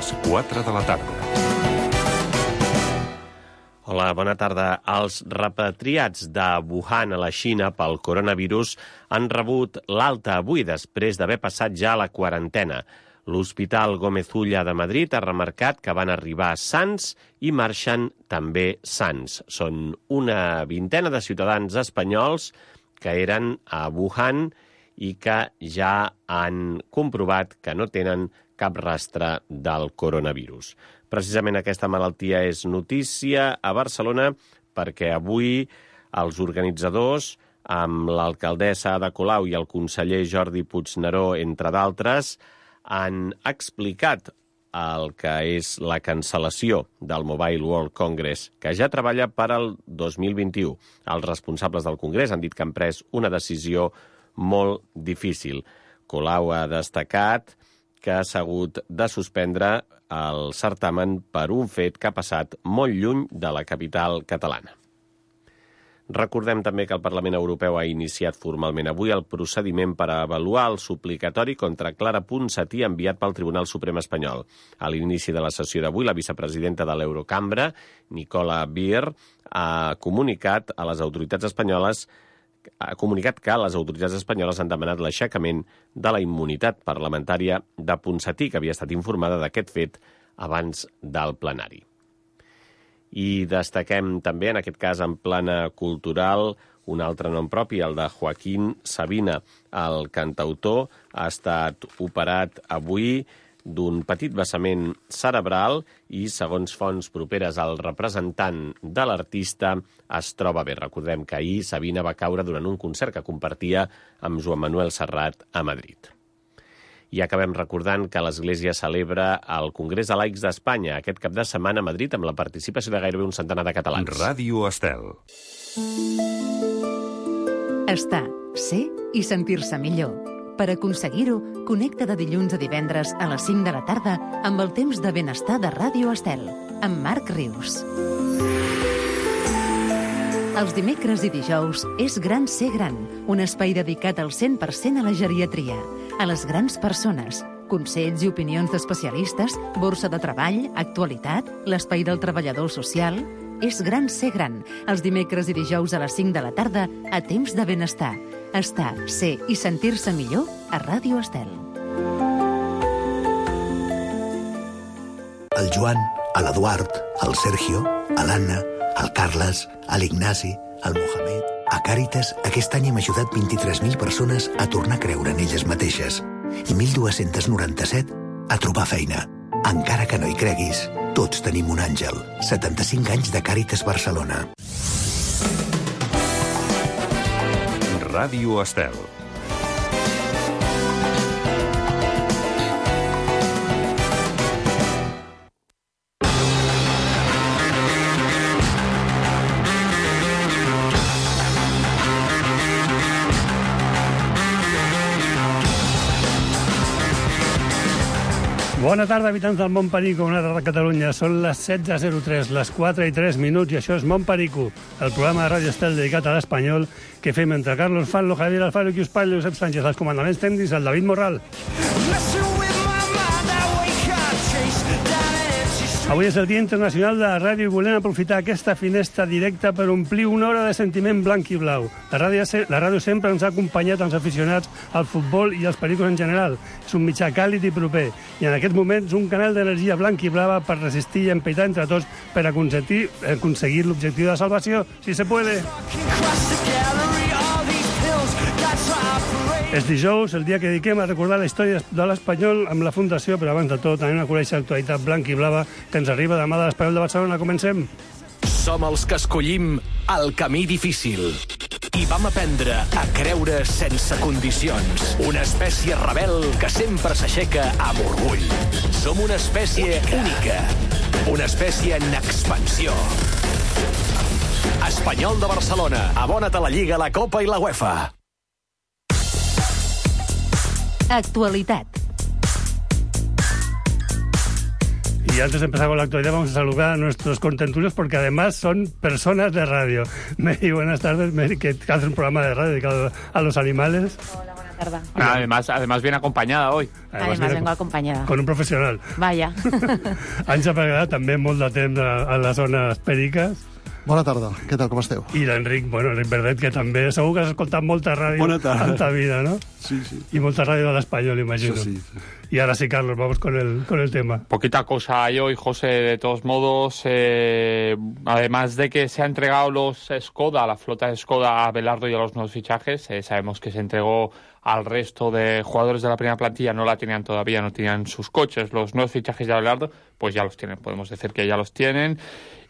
les 4 de la tarda. Hola, bona tarda. Els repatriats de Wuhan a la Xina pel coronavirus han rebut l'alta avui després d'haver passat ja la quarantena. L'Hospital Gómez Ulla de Madrid ha remarcat que van arribar sans i marxen també sans. Són una vintena de ciutadans espanyols que eren a Wuhan i que ja han comprovat que no tenen cap rastre del coronavirus. Precisament aquesta malaltia és notícia a Barcelona perquè avui els organitzadors, amb l'alcaldessa Ada Colau i el conseller Jordi Puigneró, entre d'altres, han explicat el que és la cancel·lació del Mobile World Congress, que ja treballa per al 2021. Els responsables del Congrés han dit que han pres una decisió molt difícil. Colau ha destacat que s'ha hagut de suspendre el certamen per un fet que ha passat molt lluny de la capital catalana. Recordem també que el Parlament Europeu ha iniciat formalment avui el procediment per avaluar el suplicatori contra Clara Ponsatí enviat pel Tribunal Suprem espanyol. A l'inici de la sessió d'avui, la vicepresidenta de l'Eurocambra, Nicola Beer, ha comunicat que les autoritats espanyoles han demanat l'aixecament de la immunitat parlamentària de Ponsatí, que havia estat informada d'aquest fet abans del plenari. I destaquem també, en aquest cas en plana cultural, un altre nom propi, el de Joaquín Sabina. El cantautor ha estat operat avui d'un petit vessament cerebral i, segons fonts properes al representant de l'artista, es troba bé. Recordem que ahir Sabina va caure durant un concert que compartia amb Joan Manuel Serrat a Madrid. I acabem recordant que l'Església celebra el Congrés de Laics d'Espanya aquest cap de setmana a Madrid amb la participació de gairebé un centenar de catalans. Ràdio Estel. Estar, ser i sentir-se millor. Per aconseguir-ho, connecta de dilluns a divendres a les 5 de la tarda amb el temps de benestar de Ràdio Estel, amb Marc Rius. Els dimecres i dijous és Gran Ser Gran, un espai dedicat al 100% a la geriatria, a les grans persones, consells i opinions d'especialistes, borsa de treball, actualitat, l'espai del treballador social. És Gran Ser Gran, els dimecres i dijous a les 5 de la tarda a temps de benestar. Estar, ser i sentir-se millor a Ràdio Estel. El Joan, l'Eduard, el Sergio, l'Anna, el Carles, l'Ignasi, el Mohamed... A Càritas, aquest any hem ajudat 23.000 persones a tornar a creure en elles mateixes i 1.297 a trobar feina. Encara que no hi creguis, tots tenim un àngel. 75 anys de Càritas Barcelona. Ràdio Estel. Bona tarda, habitants del Montperico, una tarda a Catalunya. Són les 16:03, les 4:03, i això és Montperico, el programa de Ràdio Estel dedicat a l'espanyol que fem entre Carlos Fallo, Javier Alfaro, Quius Pallo, Josep Sánchez, els comandaments tècnics, el David Morral. Avui és el Dia Internacional de la Ràdio i volem aprofitar aquesta finestra directa per omplir una hora de sentiment blanc i blau. La ràdio sempre ens ha acompanyat als aficionats al futbol i als pericos en general. És un mitjà càlid i proper i en aquests moments un canal d'energia blanc i blava per resistir i empaitar entre tots per aconseguir l'objectiu de salvació, si se puede. És dijous, el dia que dediquem a recordar la història de l'Espanyol amb la Fundació, però abans de tot anem a conèixer l'actualitat blanc i blava que ens arriba demà de l'Espanyol de Barcelona. Comencem. Som els que escollim el camí difícil i vam aprendre a creure sense condicions. Una espècie rebel que sempre s'aixeca amb orgull. Som una espècie única, una espècie en expansió. Espanyol de Barcelona, abona't a la Lliga, la Copa i la UEFA. Actualitat. Y antes de empezar con la actualidad vamos a saludar a nuestros contentulios porque además son personas de radio. Mary, buenas tardes. Mary, que hace un programa de radio dedicado a los animales. Hola, buenas verdad. Además viene acompañada hoy. Además vengo acompañada. Con un professional. Vaja. Àngel Pregarà, també molt de temps a les zones periques. Bona tarda, què tal, com esteu? I l'Enric, Enric Verdet, que també segur que has escoltat molta ràdio en ta vida, ¿no? Sí. Y molta ràdio de l'Espanyol, imagino. Sí. Y ahora sí, Carlos, vamos con el tema. Poquita cosa hay hoy, José, de todos modos. Además de que se ha entregado los Skoda, la flota de Skoda a Belardo y a los nuevos fichajes, sabemos que se entregó al resto de jugadores de la primera plantilla, no la tenían todavía, no tenían sus coches. Los nuevos fichajes de Belardo, pues ya los tienen, podemos decir que ya los tienen.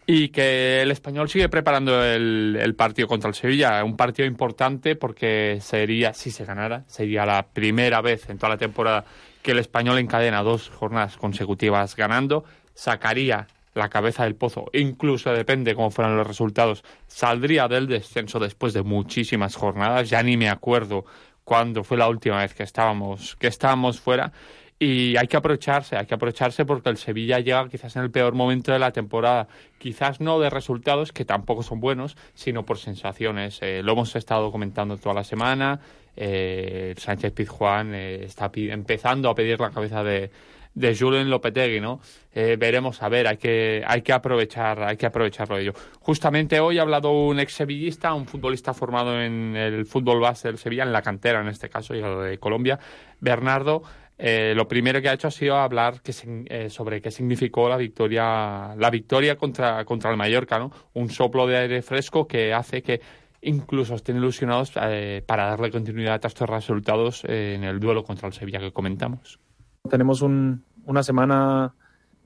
Y que el Español sigue preparando el partido contra el Sevilla, un partido importante porque sería, si se ganara, sería la primera vez en toda la temporada que el Español encadena 2 jornadas consecutivas ganando, sacaría la cabeza del pozo, incluso depende cómo fueran los resultados, saldría del descenso después de muchísimas jornadas, ya ni me acuerdo cuándo fue la última vez que estábamos fuera. Y hay que aprovecharse porque el Sevilla llega quizás en el peor momento de la temporada. Quizás no de resultados, que tampoco son buenos, sino por sensaciones. Lo hemos estado comentando toda la semana. Sánchez Pizjuán está empezando a pedir la cabeza de Julen Lopetegui, ¿no? Veremos, a ver, hay que aprovecharlo ello. Justamente hoy ha hablado un ex-sevillista, un futbolista formado en el fútbol base del Sevilla, en la cantera en este caso, llegado de Colombia, Bernardo. Lo primero que ha hecho ha sido hablar sobre qué significó la victoria contra el Mallorca, ¿no? Un soplo de aire fresco que hace que incluso estén ilusionados para darle continuidad a estos resultados en el duelo contra el Sevilla que comentamos. Tenemos una semana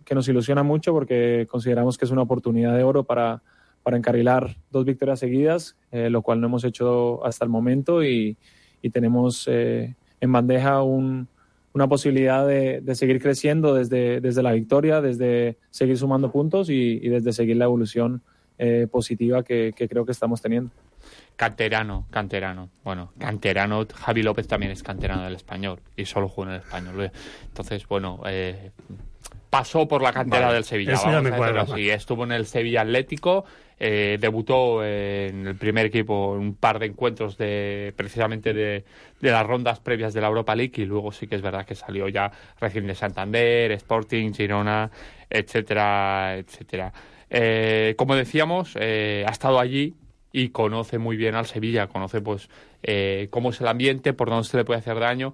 que nos ilusiona mucho porque consideramos que es una oportunidad de oro para encarrilar 2 victorias seguidas, lo cual no hemos hecho hasta el momento y tenemos en bandeja una posibilidad de seguir creciendo desde la victoria, desde seguir sumando puntos y desde seguir la evolución positiva que creo que estamos teniendo. Canterano. Bueno, canterano, Javi López también es canterano del Español y solo jugó en el Español. Entonces, bueno, pasó por la cantera del Sevilla. Eso ya me cuadra. Sí, estuvo en el Sevilla Atlético, debutó en el primer equipo en un par de encuentros precisamente de las rondas previas de la Europa League y luego sí que es verdad que salió ya recién de Santander, Sporting, Girona, etcétera, etcétera. Como decíamos, ha estado allí y conoce muy bien al Sevilla, conoce pues cómo es el ambiente, por dónde se le puede hacer daño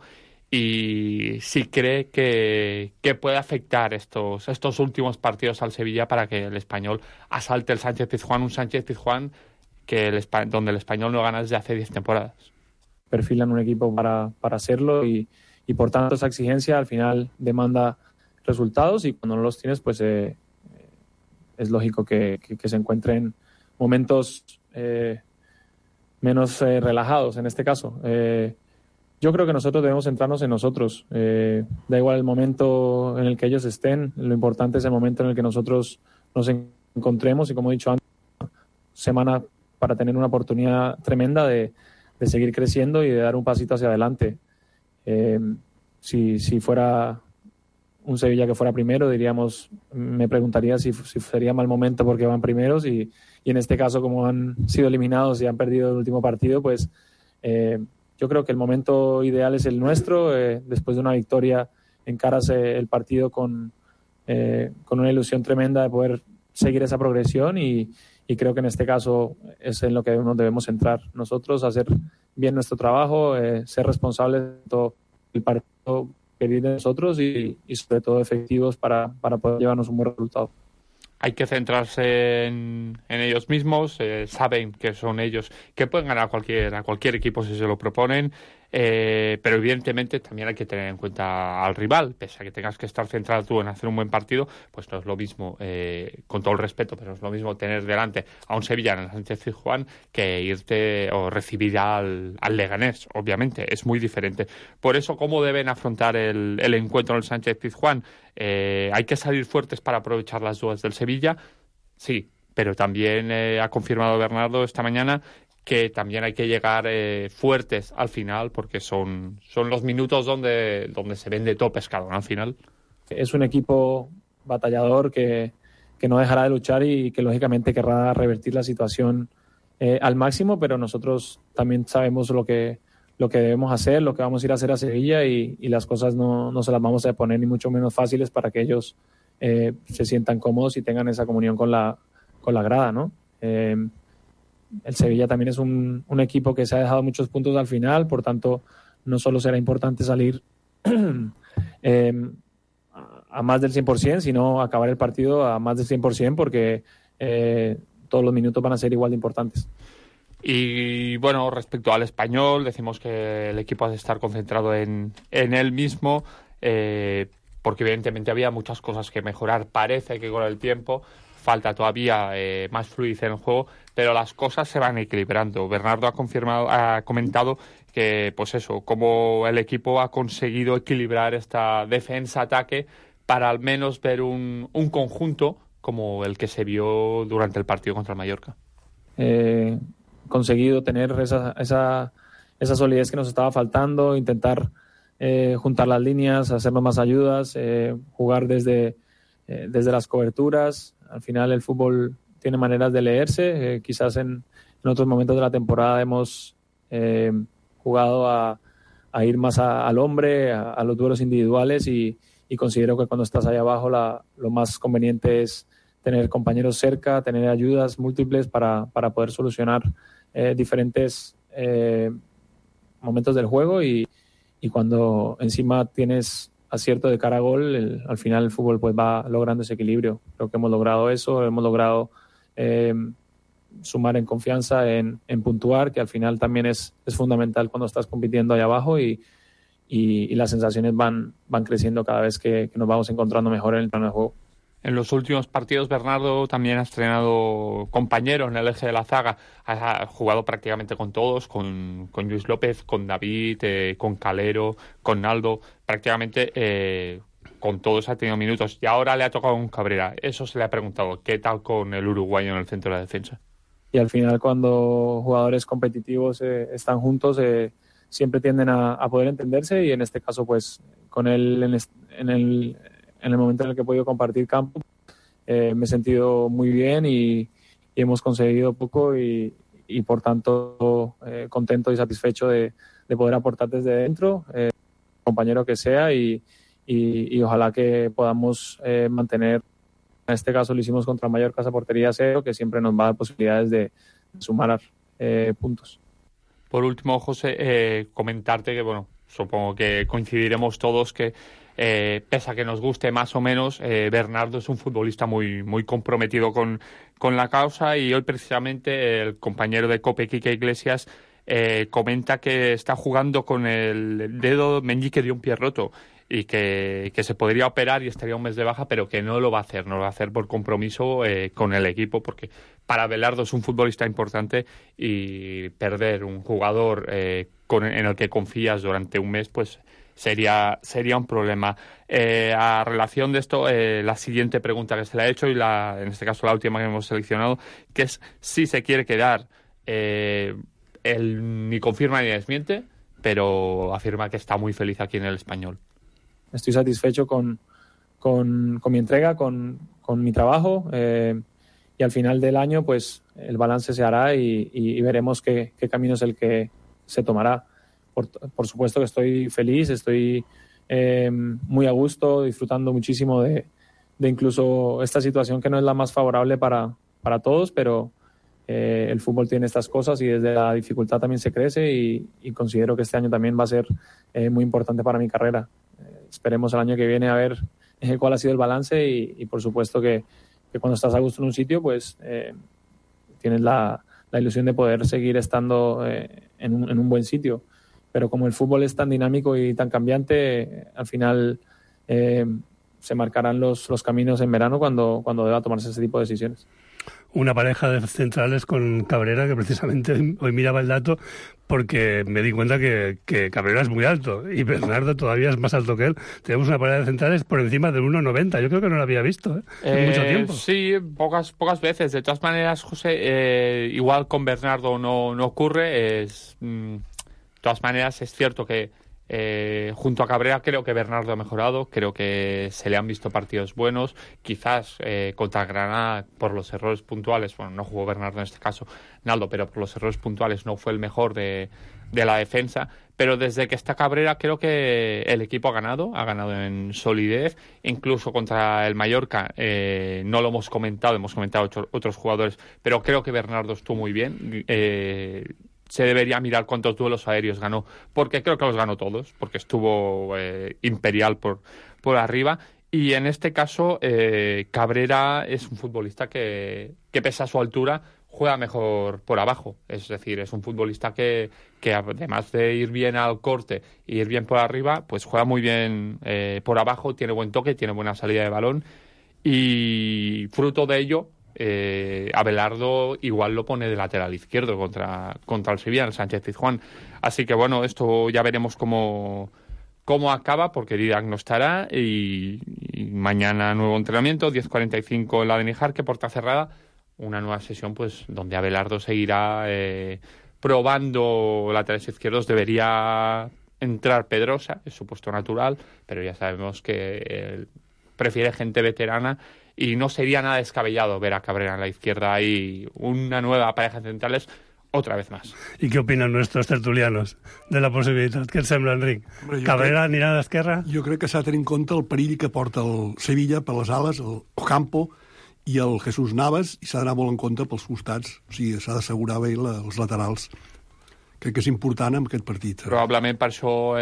y sí cree que puede afectar estos últimos partidos al Sevilla para que el Español asalte el Sánchez Pizjuán, un Sánchez Pizjuán donde el Español no gana desde hace 10 temporadas. Perfilan un equipo para hacerlo y por tanto esa exigencia al final demanda resultados y cuando no los tienes pues es lógico que se encuentren momentos menos relajados en este caso. Yo creo que nosotros debemos centrarnos en nosotros. Da igual el momento en el que ellos estén, lo importante es el momento en el que nosotros nos encontremos y como he dicho antes, semana para tener una oportunidad tremenda de seguir creciendo y de dar un pasito hacia adelante. Si fuera un Sevilla que fuera primero, me preguntaría si sería mal momento porque van primeros y en este caso como han sido eliminados y han perdido el último partido, pues yo creo que el momento ideal es el nuestro. Después de una victoria encaras el partido con una ilusión tremenda de poder seguir esa progresión y creo que en este caso es en lo que nos debemos centrar nosotros, hacer bien nuestro trabajo, ser responsables de todo el partido que viene de nosotros y sobre todo efectivos para poder llevarnos un buen resultado. Hay que centrarse en ellos mismos, saben que son ellos que pueden ganar a cualquier equipo si se lo proponen, pero evidentemente también hay que tener en cuenta al rival, pese a que tengas que estar centrado tú en hacer un buen partido, pues no es lo mismo, con todo el respeto, pero no es lo mismo tener delante a un Sevilla en el Sánchez Pizjuán que irte o recibir al Leganés, obviamente, es muy diferente. Por eso, ¿cómo deben afrontar el encuentro en el Sánchez Pizjuán? Hay que salir fuertes para aprovechar las dudas del Sevilla, sí, pero también ha confirmado Bernardo esta mañana que también hay que llegar fuertes al final porque son los minutos donde se vende todo pescado, ¿no? Al final. Es un equipo batallador que no dejará de luchar y que lógicamente querrá revertir la situación al máximo, pero nosotros también sabemos lo que lo que debemos hacer, lo que vamos a ir a hacer a Sevilla y las cosas no se las vamos a poner ni mucho menos fáciles para que ellos se sientan cómodos y tengan esa comunión con la grada, ¿no? El Sevilla también es un equipo que se ha dejado muchos puntos al final, por tanto no solo será importante salir a más del 100%, sino acabar el partido a más del 100%, porque todos los minutos van a ser igual de importantes. Y bueno, respecto al Español, decimos que el equipo ha de estar concentrado en él mismo, porque evidentemente había muchas cosas que mejorar. Parece que con el tiempo falta todavía más fluidez en el juego, pero las cosas se van equilibrando. Bernardo ha comentado que, pues eso, cómo el equipo ha conseguido equilibrar esta defensa-ataque para al menos ver un conjunto como el que se vio durante el partido contra el Mallorca. Conseguido tener esa solidez que nos estaba faltando, intentar juntar las líneas, hacernos más ayudas, jugar desde las coberturas. Al final el fútbol tiene maneras de leerse. Quizás en otros momentos de la temporada hemos jugado a ir más al hombre, a los duelos individuales, y considero que cuando estás ahí abajo lo más conveniente es tener compañeros cerca, tener ayudas múltiples para poder solucionar diferentes momentos del juego, y cuando encima tienes acierto de cara a gol, al final el fútbol pues va logrando ese equilibrio. Creo que hemos logrado eso, hemos logrado sumar en confianza, en puntuar, que al final también es fundamental cuando estás compitiendo ahí abajo, y las sensaciones van creciendo cada vez que nos vamos encontrando mejor en el terreno de juego. En los últimos partidos, Bernardo también ha estrenado compañeros en el eje de la zaga. Ha jugado prácticamente con todos, con Luis López, con David, con Calero, con Naldo. Prácticamente con todos ha tenido minutos. Y ahora le ha tocado un Cabrera. Eso se le ha preguntado. ¿Qué tal con el uruguayo en el centro de la defensa? Y al final, cuando jugadores competitivos están juntos, siempre tienden a poder entenderse. Y en este caso, pues, con él en el momento en el que he podido compartir campo, me he sentido muy bien y hemos conseguido poco y por tanto contento y satisfecho de poder aportar desde dentro, compañero que sea, y ojalá que podamos mantener, en este caso lo hicimos contra Mallorca, esa portería cero, que siempre nos va a dar posibilidades de sumar puntos. Por último, José, comentarte que, bueno, supongo que coincidiremos todos que pese a que nos guste más o menos, Bernardo es un futbolista muy, muy comprometido con la causa, y hoy precisamente el compañero de COPE, Quique Iglesias, comenta que está jugando con el dedo meñique de un pie roto y que se podría operar y estaría un mes de baja, pero que no lo va a hacer por compromiso con el equipo, porque para Belardo es un futbolista importante, y perder un jugador en el que confías durante un mes, pues sería un problema. A relación de esto, la siguiente pregunta que se le ha hecho, y en este caso la última que hemos seleccionado, que es si se quiere quedar. Él ni confirma ni desmiente, pero afirma que está muy feliz aquí en el Español. Estoy satisfecho con mi entrega, con mi trabajo, y al final del año pues el balance se hará y veremos qué camino es el que se tomará. Por supuesto que estoy feliz, estoy muy a gusto, disfrutando muchísimo de incluso esta situación que no es la más favorable para todos, pero el fútbol tiene estas cosas y desde la dificultad también se crece, y considero que este año también va a ser muy importante para mi carrera. Esperemos el año que viene a ver cuál ha sido el balance, y por supuesto que cuando estás a gusto en un sitio pues tienes la ilusión de poder seguir estando en un buen sitio. Pero como el fútbol es tan dinámico y tan cambiante, al final se marcarán los caminos en verano cuando deba tomarse ese tipo de decisiones. Una pareja de centrales con Cabrera, que precisamente hoy miraba el dato porque me di cuenta que Cabrera es muy alto y Bernardo todavía es más alto que él. Tenemos una pareja de centrales por encima del 1,90. Yo creo que no lo había visto en mucho tiempo. Sí, pocas veces. De todas maneras, José, igual con Bernardo no ocurre. De todas maneras, es cierto que junto a Cabrera creo que Bernardo ha mejorado, creo que se le han visto partidos buenos, quizás contra Granada por los errores puntuales, bueno, no jugó Bernardo en este caso, Naldo, pero por los errores puntuales no fue el mejor de la defensa, Pero desde que está Cabrera creo que el equipo ha ganado en solidez, incluso contra el Mallorca, no lo hemos comentado otros jugadores, pero creo que Bernardo estuvo muy bien. Se debería mirar cuántos duelos aéreos ganó, porque creo que los ganó todos, porque estuvo imperial por arriba. Y en este caso, Cabrera es un futbolista que pese a su altura, juega mejor por abajo. Es decir, es un futbolista que además de ir bien al corte y ir bien por arriba, pues juega muy bien por abajo, tiene buen toque, tiene buena salida de balón. Y fruto de ello, Abelardo igual lo pone de lateral izquierdo contra el Sevilla, el Sánchez-Pizjuán. Así que bueno, esto ya veremos cómo acaba, porque Didac no estará, y mañana nuevo entrenamiento, 10:45 en la de Níjar, puerta cerrada, una nueva sesión pues donde Abelardo seguirá probando laterales izquierdos. Debería entrar Pedrosa, es su puesto natural, pero ya sabemos que prefiere gente veterana y no sería nada descabellado ver a Cabrera en la izquierda y una nueva pareja de centrales otra vez más. I què opinen nuestros tertulianos de la possibilitat? Què et sembla, Enric? Cabrera anirà a l'esquerra? Jo crec que s'ha de tenir en compte el perill que porta el Sevilla per les ales, el Ocampo i el Jesús Navas, i s'ha d'anar molt en compte pels costats. O sigui, s'ha d'assegurar bé els laterals. Crec que és important en aquest partit. Probablement per això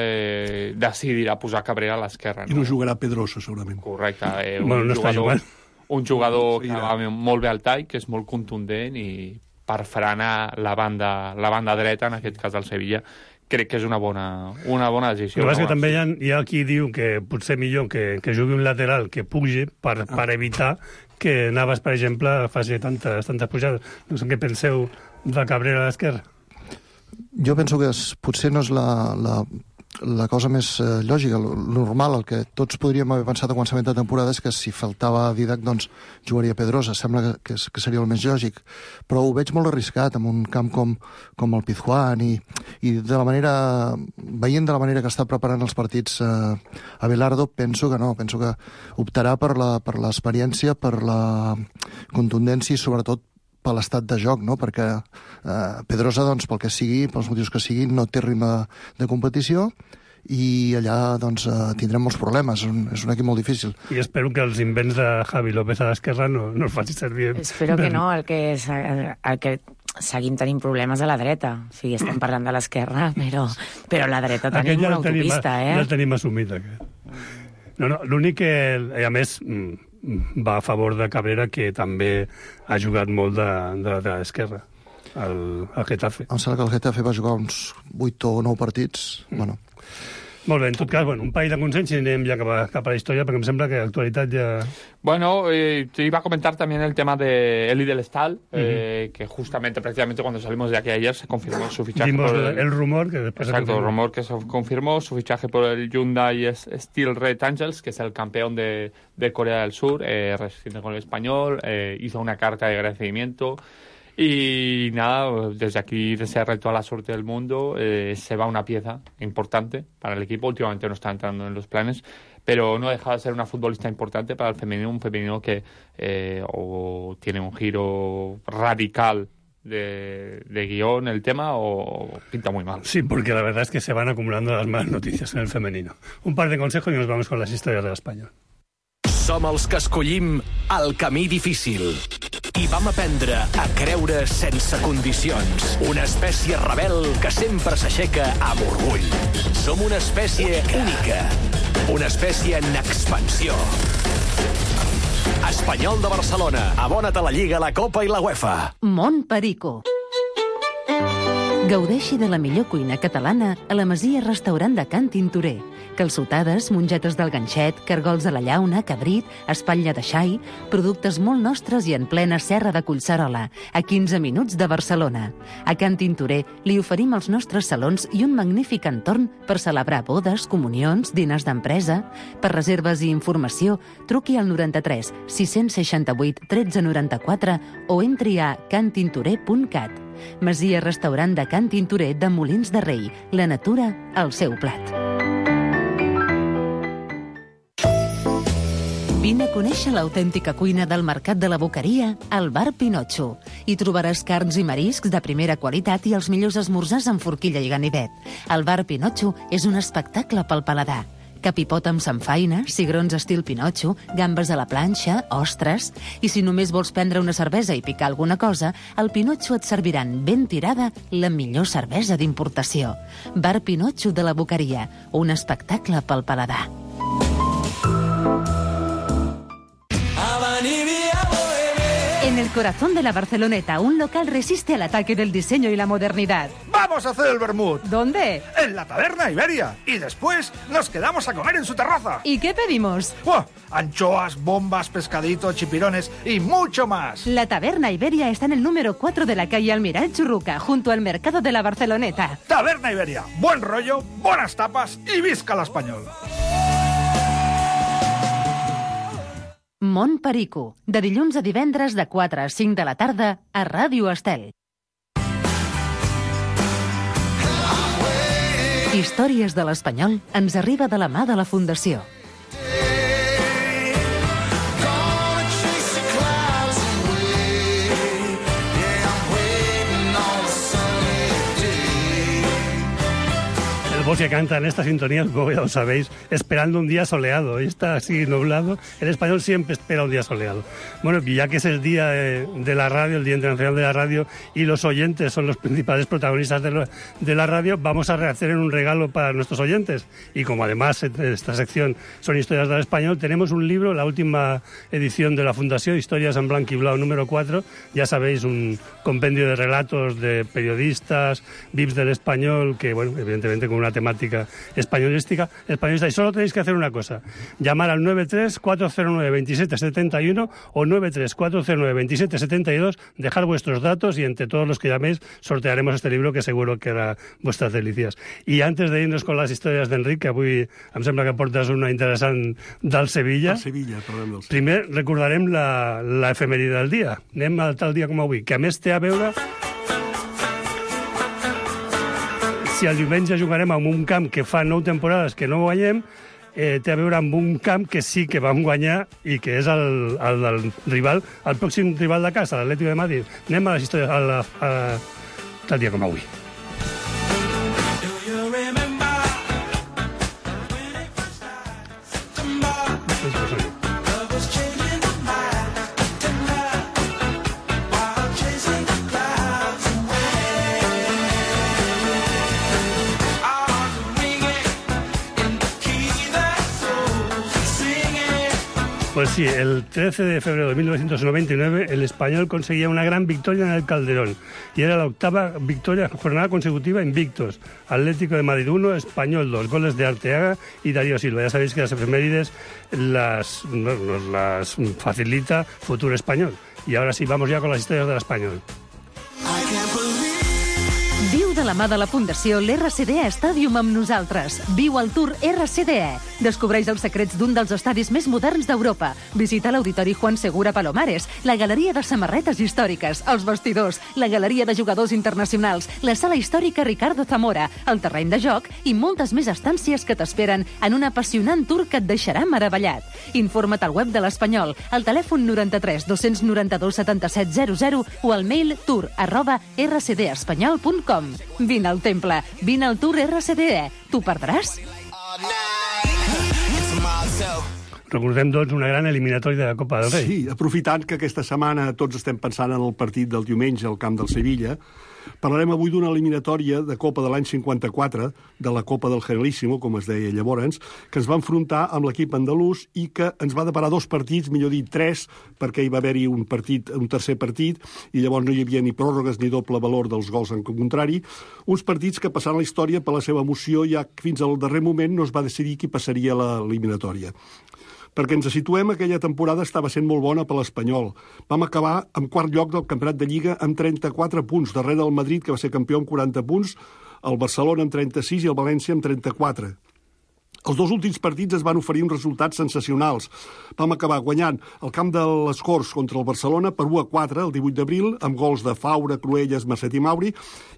decidirà posar Cabrera a l'esquerra. I no jugarà Pedrosa, segurament. Correcte. Bueno, no està jugant. Un jugador que va molt bé al tall, que és molt contundent i per frenar la banda dreta, en aquest cas del Sevilla, crec que és una bona decisió. El que passa que també hi ha qui diu que potser millor que jugui un lateral que pugi per evitar que Navas, per exemple, faci tantes pujades. No sé què penseu de Cabrera a l'esquerra. Jo penso que potser no és la cosa més lògica, el normal, el que tots podríem haver pensat a començament de temporada és que si faltava Didac, doncs jugaria Pedrosa. Sembla que seria el més lògic, però ho veig molt arriscat en un camp com el Pizjuán i veient de la manera que està preparant els partits Abelardo, penso que no, penso que optarà per l'experiència, per la contundència i sobretot per l'estat de joc, no? Perquè Pedrosa, doncs, pel que sigui, pels motius que siguin, no té ritme de competició i allà doncs, tindrem molts problemes. És un equip molt difícil. I espero que els invents de Javi López a l'esquerra no els faci servir. Espero que no, el que seguim tenint problemes a la dreta. O sigui, estem parlant de l'esquerra, però a la dreta tenim una autopista, Ja el tenim assumit, aquest. No, l'únic que, a més, va a favor de Cabrera, que també ha jugat molt de l'esquerra, al Getafe. Em sembla que el Getafe va jugar uns 8 o 9 partits. Bueno. Molt bé, en tot cas, un parell de consens i anem ja cap a la història, perquè em sembla que l'actualitat ja... Bueno, te iba a comentar también el tema de Eli del Estal, que justamente, prácticamente cuando salimos de aquí ayer, se confirmó su fichaje. Vimos el rumor que después exacto, el rumor que se confirmó, su fichaje por el Hyundai Steel Red Angels, que es el campeón de Corea del Sur, reside con el Español, hizo una carta de agradecimiento. Y nada, desde aquí desearle toda la suerte del mundo. Se va una pieza importante para el equipo. Últimamente no está entrando en los planes, pero no deja de ser una futbolista importante para el femenino, un femenino que o tiene un giro radical de guión el tema o pinta muy mal. Sí, porque la verdad es que se van acumulando las malas noticias en el femenino. Un par de consejos y nos vamos con las historias del español. Som els que escollim el camí difícil i vam aprendre a creure sense condicions. Una espècie rebel que sempre s'aixeca amb orgull. Som una espècie única. Una espècie en expansió. Espanyol de Barcelona. Abona't a la Lliga, la Copa i la UEFA. Mont Perico. Gaudeixi de la millor cuina catalana a la Masia Restaurant de Can Tintorer. Calçotades, mongetes del ganxet, cargols de la llauna, cabrit, espatlla de xai, productes molt nostres i en plena serra de Collserola, a 15 minuts de Barcelona. A Can Tintorer li oferim els nostres salons i un magnífic entorn per celebrar bodes, comunions, diners d'empresa. Per reserves i informació, truqui al 93 668 1394 o entri a cantintorer.cat. Masia Restaurant de Can Tintorer de Molins de Rei. La natura al seu plat. Vine a conèixer l'autèntica cuina del Mercat de la Boqueria al Bar Pinotxo. Hi trobaràs carns i mariscs de primera qualitat i els millors esmorzars amb forquilla i ganivet. El Bar Pinotxo és un espectacle pel paladar. Capipot amb samfaina, cigrons estil Pinotxo, gambes a la planxa, ostres... I si només vols prendre una cervesa i picar alguna cosa, al Pinotxo et serviran ben tirada la millor cervesa d'importació. Bar Pinotxo de la Boqueria, un espectacle pel paladar. En el corazón de la Barceloneta, un local resiste al ataque del diseño y la modernidad. ¡Vamos a hacer el vermut! ¿Dónde? En la Taberna Iberia. Y después nos quedamos a comer en su terraza. ¿Y qué pedimos? ¡Oh! Anchoas, bombas, pescaditos, chipirones y mucho más. La Taberna Iberia está en el número 4 de la calle Almiral Churruca, junto al mercado de la Barceloneta. Taberna Iberia. Buen rollo, buenas tapas y visca l'espanyol. Mont Perico, de dilluns a divendres de 4 a 5 de la tarda a Ràdio Estel. Històries de l'Espanyol ens arriba de la mà de la Fundació. El voz que canta en esta sintonía, como ya lo sabéis, esperando un día soleado. Hoy está así nublado. El español siempre espera un día soleado. Bueno, ya que es el día de la radio, el Día Internacional de la Radio, y los oyentes son los principales protagonistas de la radio, vamos a hacer un regalo para nuestros oyentes. Y como además esta sección son historias del español, tenemos un libro, la última edición de la Fundación, Historias en Blanc y Blau número 4. Ya sabéis, un compendio de relatos de periodistas, VIPs del español, que, bueno, evidentemente con una temática españolista, y solo tenéis que hacer una cosa: llamar al 93-409-2771 o 93-409-2772, dejar vuestros datos y entre todos los que llaméis sortearemos este libro que seguro que harà vuestras delicias. I antes de irnos con las historias d'Enric, que avui em sembla que portes una interessant del Sevilla. Primer recordarem la efemèride del dia. Anem a tal dia com avui, que a més té a veure... Si el diumenge jugarem en un camp que fa 9 temporades que no guanyem, té a veure amb un camp que sí que vam guanyar i que és el del rival, el pròxim rival de casa, l'Atlético de Madrid. Anem a les històries tal dia com avui. Pues sí, el 13 de febrero de 1999 el Español conseguía una gran victoria en el Calderón y era la octava jornada consecutiva invictos. Atlético de Madrid 1, Español 2, goles de Arteaga y Darío Silva. Ya sabéis que las efemérides las facilita Futuro Español. Y ahora sí, vamos ya con las historias del Español. Viu de la mà de la Fundació l'RCDE Stadium amb nosaltres. Viu el Tour RCDE. Descobreix els secrets d'un dels estadis més moderns d'Europa. Visita l'Auditori Juan Segura Palomares, la Galeria de Samarretes Històriques, els vestidors, la Galeria de Jugadors Internacionals, la Sala Històrica Ricardo Zamora, el terreny de joc i moltes més estàncies que t'esperen en un apassionant tour que et deixarà meravellat. Informa't al web de l'Espanyol, al telèfon 93 292 77 00 o al mail tour@rcdespanyol.com. Vine al temple, vine al Tour RCDE. T'ho perdràs? Recordem, doncs, una gran eliminatòria de la Copa del Rei. Sí, aprofitant que aquesta setmana tots estem pensant en el partit del diumenge al camp del Sevilla, parlarem avui d'una eliminatòria de Copa de l'any 54, de la Copa del Generalíssimo, com es deia llavors, que ens va enfrontar amb l'equip andalús i que ens va deparar 2 partits, millor dit 3, perquè hi va haver-hi un tercer partit, i llavors no hi havia ni pròrrogues ni doble valor dels gols en contrari. Uns partits que passaran a la història per la seva emoció, ja que fins al darrer moment no es va decidir qui passaria l'eliminatòria. Perquè ens situem, aquella temporada estava sent molt bona per l'Espanyol. Vam acabar en quart lloc del Campionat de Lliga amb 34 punts, darrere del Madrid, que va ser campió amb 40 punts, el Barcelona amb 36 i el València amb 34. Els dos últims partits es van oferir uns resultats sensacionals. Vam acabar guanyant el camp de les Corts contra el Barcelona per 1-4 el 18 d'abril, amb gols de Faura, Cruelles, Marcet i Mauri,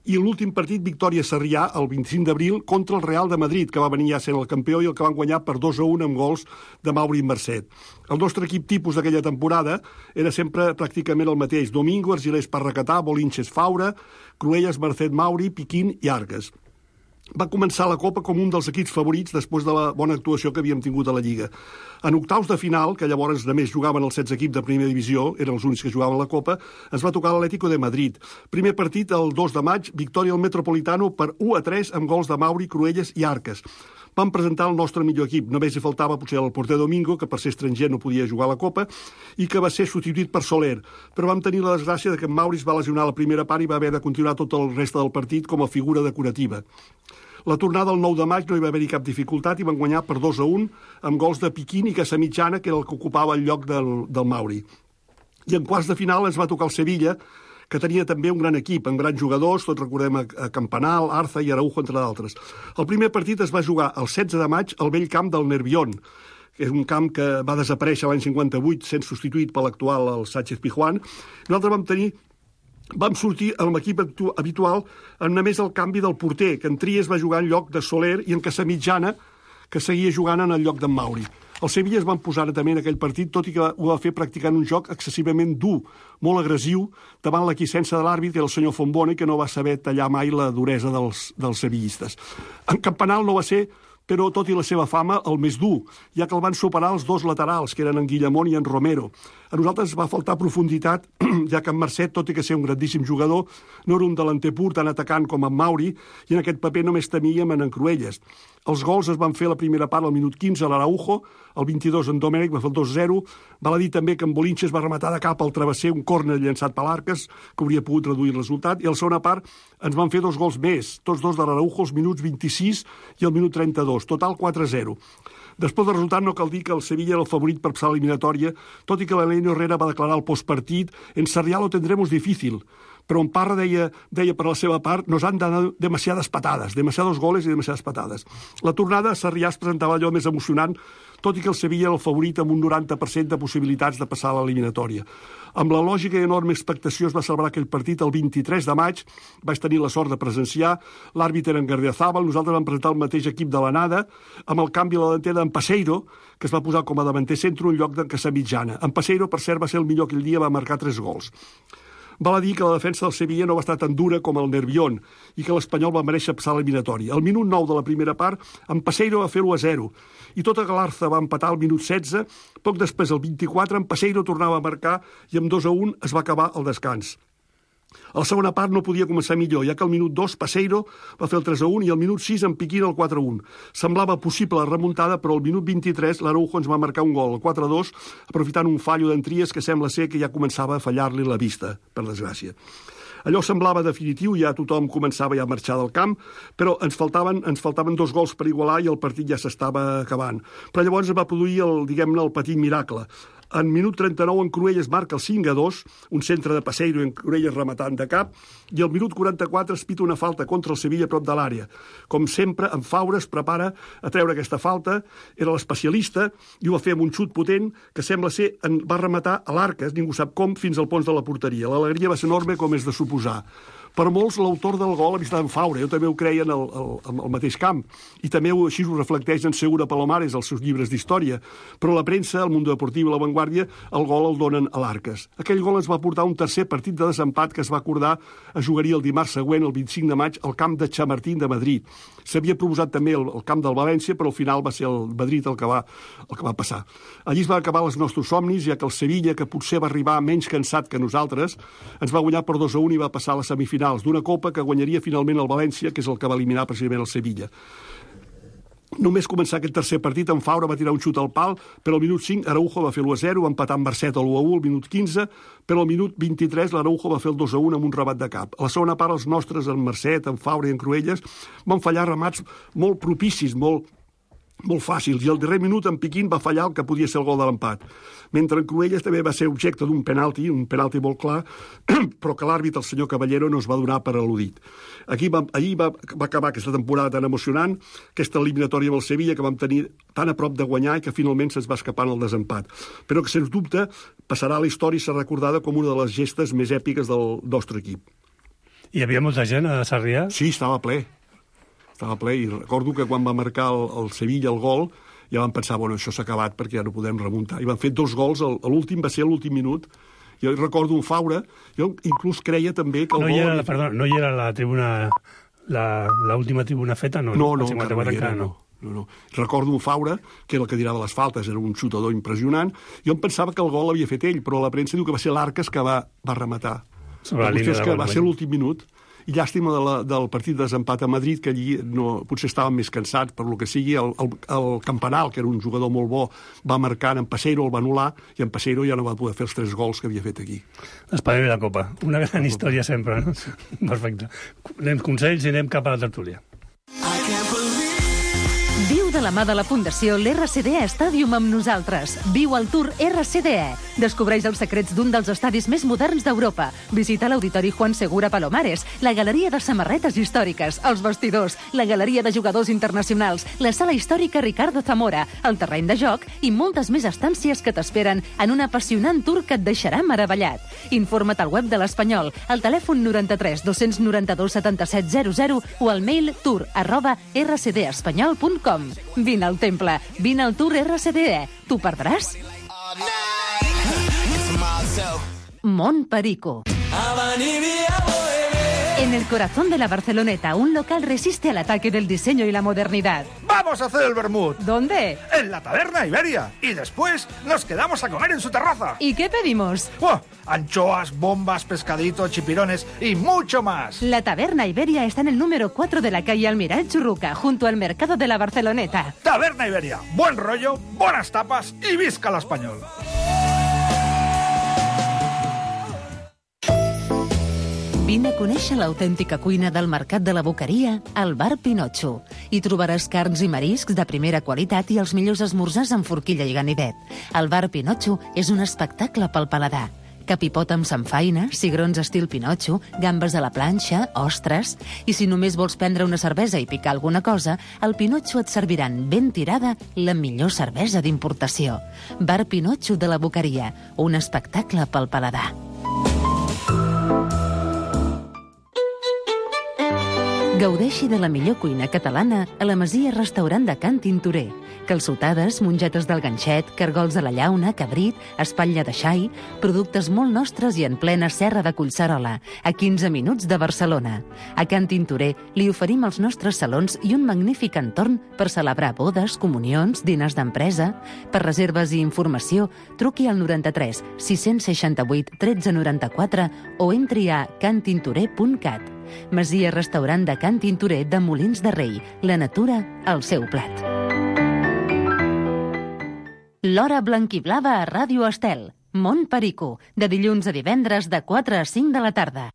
i l'últim partit, victòria Sarrià, el 25 d'abril, contra el Real de Madrid, que va venir ja sent el campió i el que van guanyar per 2-1 amb gols de Mauri i Marcet. El nostre equip tipus d'aquella temporada era sempre pràcticament el mateix. Domingo, Argilés, Parracatà, Bolinches, Faura, Cruelles, Marcet, Mauri, Piquín i Arques. Va començar la Copa com un dels equips favorits després de la bona actuació que havíem tingut a la Lliga. En octaus de final, que llavors només jugaven els 16 equips de primera divisió, eren els únics que jugaven la Copa, ens va tocar l'Atlético de Madrid. Primer partit, el 2 de maig, victòria al Metropolitano per 1-3 amb gols de Mauri, Cruelles i Arques. Vam presentar el nostre millor equip. Només hi faltava potser el porter Domingo, que per ser estranger no podia jugar a la Copa, i que va ser substituït per Soler. Però vam tenir la desgràcia de que Mauri es va lesionar a la primera part i va haver de continuar tot el reste del partit com a figura decorativa. La tornada el 9 de maig no hi va haver-hi cap dificultat i van guanyar per 2-1 amb gols de Piquín i Casamitjana, que era el que ocupava el lloc del Mauri. I en quarts de final ens va tocar el Sevilla, que tenia també un gran equip, amb grans jugadors, tots recordem a Campanal, Arza i Araujo, entre d'altres. El primer partit es va jugar el 16 de maig al vell camp del Nervión, que és un camp que va desaparèixer l'any 58 sent substituït per l'actual, el Sánchez Pizjuán. Nosaltres vam sortir amb l'equip habitual amb només el canvi del porter, que en Tries va jugar en lloc de Soler i en Casamitjana, que seguia jugant en el lloc d'en Mauri. El Sevilla es van posar també en aquell partit, tot i que ho va fer practicant un joc excessivament dur, molt agressiu, davant l'aquiescència de l'àrbit, que era el senyor Fombone, que no va saber tallar mai la duresa dels sevillistes. En Campanal no va ser, però tot i la seva fama, el més dur, ja que el van superar els dos laterals, que eren en Guillamón i en Romero. A nosaltres va faltar profunditat, ja que en Marcet, tot i que ser un grandíssim jugador, no era un delanter pur tan atacant com en Mauri, i en aquest paper només temíem en Cruelles. Els gols es van fer la primera part al minut 15 a l'Araujo, el 22 en Domènech va fer el 2-0, val a dir també que en Bolinches va rematar de cap al travesser un córner llançat per l'Arques, que hauria pogut reduir el resultat, i a la segona part ens van fer 2 gols més, tots dos de l'Araujo, els minuts 26 i el minut 32, total 4-0. Després del resultat no cal dir que el Sevilla era el favorit per passar l'eliminatòria, tot i que l'Elenio Herrera va declarar al postpartit «En Sarrià lo tendremos difícil», però en Parra deia per la seva part «nos han dado demasiadas patadas, demasiados goles i demasiadas patadas». La tornada a Sarrià es presentava allò més emocionant, tot i que el Sevilla era el favorit amb un 90% de possibilitats de passar a l'eliminatòria. Amb la lògica i enorme expectació es va celebrar aquell partit el 23 de maig, vaig tenir la sort de presenciar, l'àrbit era en Gardiazabal, nosaltres vam presentar el mateix equip de l'anada, amb el canvi a la delantera d'en Passeiro, que es va posar com a davanter centre en lloc d'en Casamitjana. En Passeiro, per cert, va ser el millor aquell dia, va marcar 3 gols. Val a dir que la defensa del Sevilla no va estar tan dura com el Nervión i que l'Espanyol va mereixer passar l'eliminatòria. Al minut 9 de la primera part, en Passeiro va fer 1-0 i tota Galarza va empatar al minut 16. Poc després, el 24, en Passeiro tornava a marcar i amb 2-1 es va acabar el descans. A la segona part no podia començar millor, ja que al minut 2 Passeiro va fer el 3-1 i al minut 6 en Piquín el 4-1. Semblava possible la remuntada, però al minut 23 l'Araujo ens va marcar un gol, el 4-2, aprofitant un fallo d'en Tries que sembla ser que ja començava a fallar-li la vista, per desgràcia. Allò semblava definitiu, ja tothom començava ja a marxar del camp, però ens faltaven 2 gols per igualar i el partit ja s'estava acabant. Però llavors es va produir el petit miracle. En minut 39 en Cruelles marca el 5-2, un centre de Passeiro en Cruelles rematant de cap, i al minut 44 es pita una falta contra el Sevilla a prop de l'àrea. Com sempre, en Faura es prepara a treure aquesta falta, era l'especialista, i ho va fer amb un xut potent que sembla ser va rematar a l'Arques, ningú sap com, fins al fons de la porteria. L'alegria va ser enorme com és de suposar. Per molts, l'autor del gol havia estat en Faura, jo també ho creia en el mateix camp, i també així ho reflecteix en Segura Palomares, als seus llibres d'història, però la premsa, el Mundo Deportiu i la Vanguardia, el gol el donen a l'Arques. Aquell gol ens va portar un tercer partit de desempat que es va acordar es jugaria el dimarts següent, el 25 de maig, al camp de Chamartín de Madrid. S'havia proposat també el camp del València, però al final va ser el Madrid el que va passar. Allí es van acabar els nostres somnis, ja que el Sevilla, que potser va arribar menys cansat que nosaltres, ens va guanyar per 2-1 i va passar a les semifinals d'una Copa que guanyaria finalment el València, que és el que va eliminar precisament el Sevilla. Només començar aquest tercer partit, en Faura va tirar un xut al pal, però al minut 5 Araujo va fer l'1-0, va empatar amb Marcet al 1-1 al minut 15, però al minut 23 l'Araujo va fer el 2-1 amb un rebat de cap. A la segona part, els nostres, en Marcet, en Faura i en Cruelles, van fallar remats molt propicis, molt molt fàcils, i al darrer minut en Piquín va fallar el que podia ser el gol de l'empat. Mentre en Cruelles també va ser objecte d'un penalti molt clar, però que l'àrbitre, el senyor Caballero, no es va donar per al·ludit. Ahir va acabar aquesta temporada tan emocionant, aquesta eliminatòria amb el Sevilla, que vam tenir tan a prop de guanyar i que finalment se'ns va escapar en el desempat. Però que, sens dubte, passarà a la història i serà recordada com una de les gestes més èpiques del nostre equip. Hi havia molta gent a Sarrià? Sí, estava ple, i recordo que quan va marcar el Sevilla el gol ja vam pensar, bueno, això s'ha acabat perquè ja no podem remuntar, i van fer 2 gols, l'últim va ser a l'últim minut. Jo recordo un Faura, jo inclús creia també que el gol... No hi era la tribuna, l'última tribuna feta? No, no. Recordo un Faura, que era el que tirava les faltes, era un xutador impressionant. Jo em pensava que el gol l'havia fet ell, però la premsa diu que va ser l'Arcas que va rematar. Sobre la línia de gol. Va ser l'últim minut. I llàstima del partit de desempat a Madrid, que allí potser estaven més cansats, per lo que sigui. El Campanal, que era un jugador molt bo, va marcar en Passeiro, el va anul·lar, i en Passeiro ja no va poder fer els 3 gols que havia fet aquí. L'espadell de la Copa. Una gran història sempre, no? Perfecte. Anem consells i anem cap a la tertúlia. Viu de la mà de la Fundació l'RCDE Stadium amb nosaltres. Viu el Tour RCDE. Descobreix els secrets d'un dels estadis més moderns d'Europa. Visita l'Auditori Juan Segura Palomares, la Galeria de Samarretes Històriques, els vestidors, la Galeria de Jugadors Internacionals, la Sala Històrica Ricardo Zamora, el terreny de joc i moltes més estàncies que t'esperen en un apassionant tour que et deixarà meravellat. Informa't al web de l'Espanyol, al telèfon 93 292 7700 o al mail tour@rcdespanyol.com. Vine al temple, vine al Tour RCDE. T'ho perdràs? Mont Perico. En el corazón de la Barceloneta, un local resiste al ataque del diseño y la modernidad. ¡Vamos a hacer el vermut! ¿Dónde? En la Taberna Iberia. Y después nos quedamos a comer en su terraza. ¿Y qué pedimos? Anchoas, bombas, pescadito, chipirones y mucho más. La Taberna Iberia está en el número 4 de la calle Almiral Churruca, junto al mercado de la Barceloneta. Taberna Iberia. Buen rollo, buenas tapas y visca el español. Vine a conèixer l'autèntica cuina del Mercat de la Boqueria al Bar Pinotxo. Hi trobaràs carns i mariscs de primera qualitat i els millors esmorzars amb forquilla i ganivet. El Bar Pinotxo és un espectacle pel paladar. Capipot amb samfaina, cigrons estil Pinotxo, gambes a la planxa, ostres... I si només vols prendre una cervesa i picar alguna cosa, al Pinotxo et serviran ben tirada la millor cervesa d'importació. Bar Pinotxo de la Boqueria, un espectacle pel paladar. Gaudeixi de la millor cuina catalana a la Masia Restaurant de Can Tintorer. Calçotades, mongetes del ganxet, cargols de la llauna, cabrit, espatlla de xai, productes molt nostres i en plena serra de Collserola, a 15 minuts de Barcelona. A Can Tintorer li oferim els nostres salons i un magnífic entorn per celebrar bodes, comunions, diners d'empresa. Per reserves i informació, truqui al 93 668 1394 o entri a cantintorer.cat. Masia Restaurant de Can Tintorer de Molins de Rei. La natura al seu plat. L'Hora Blanquiblava a Ràdio Estel. Mont Perico. De dilluns a divendres de 4 a 5 de la tarda.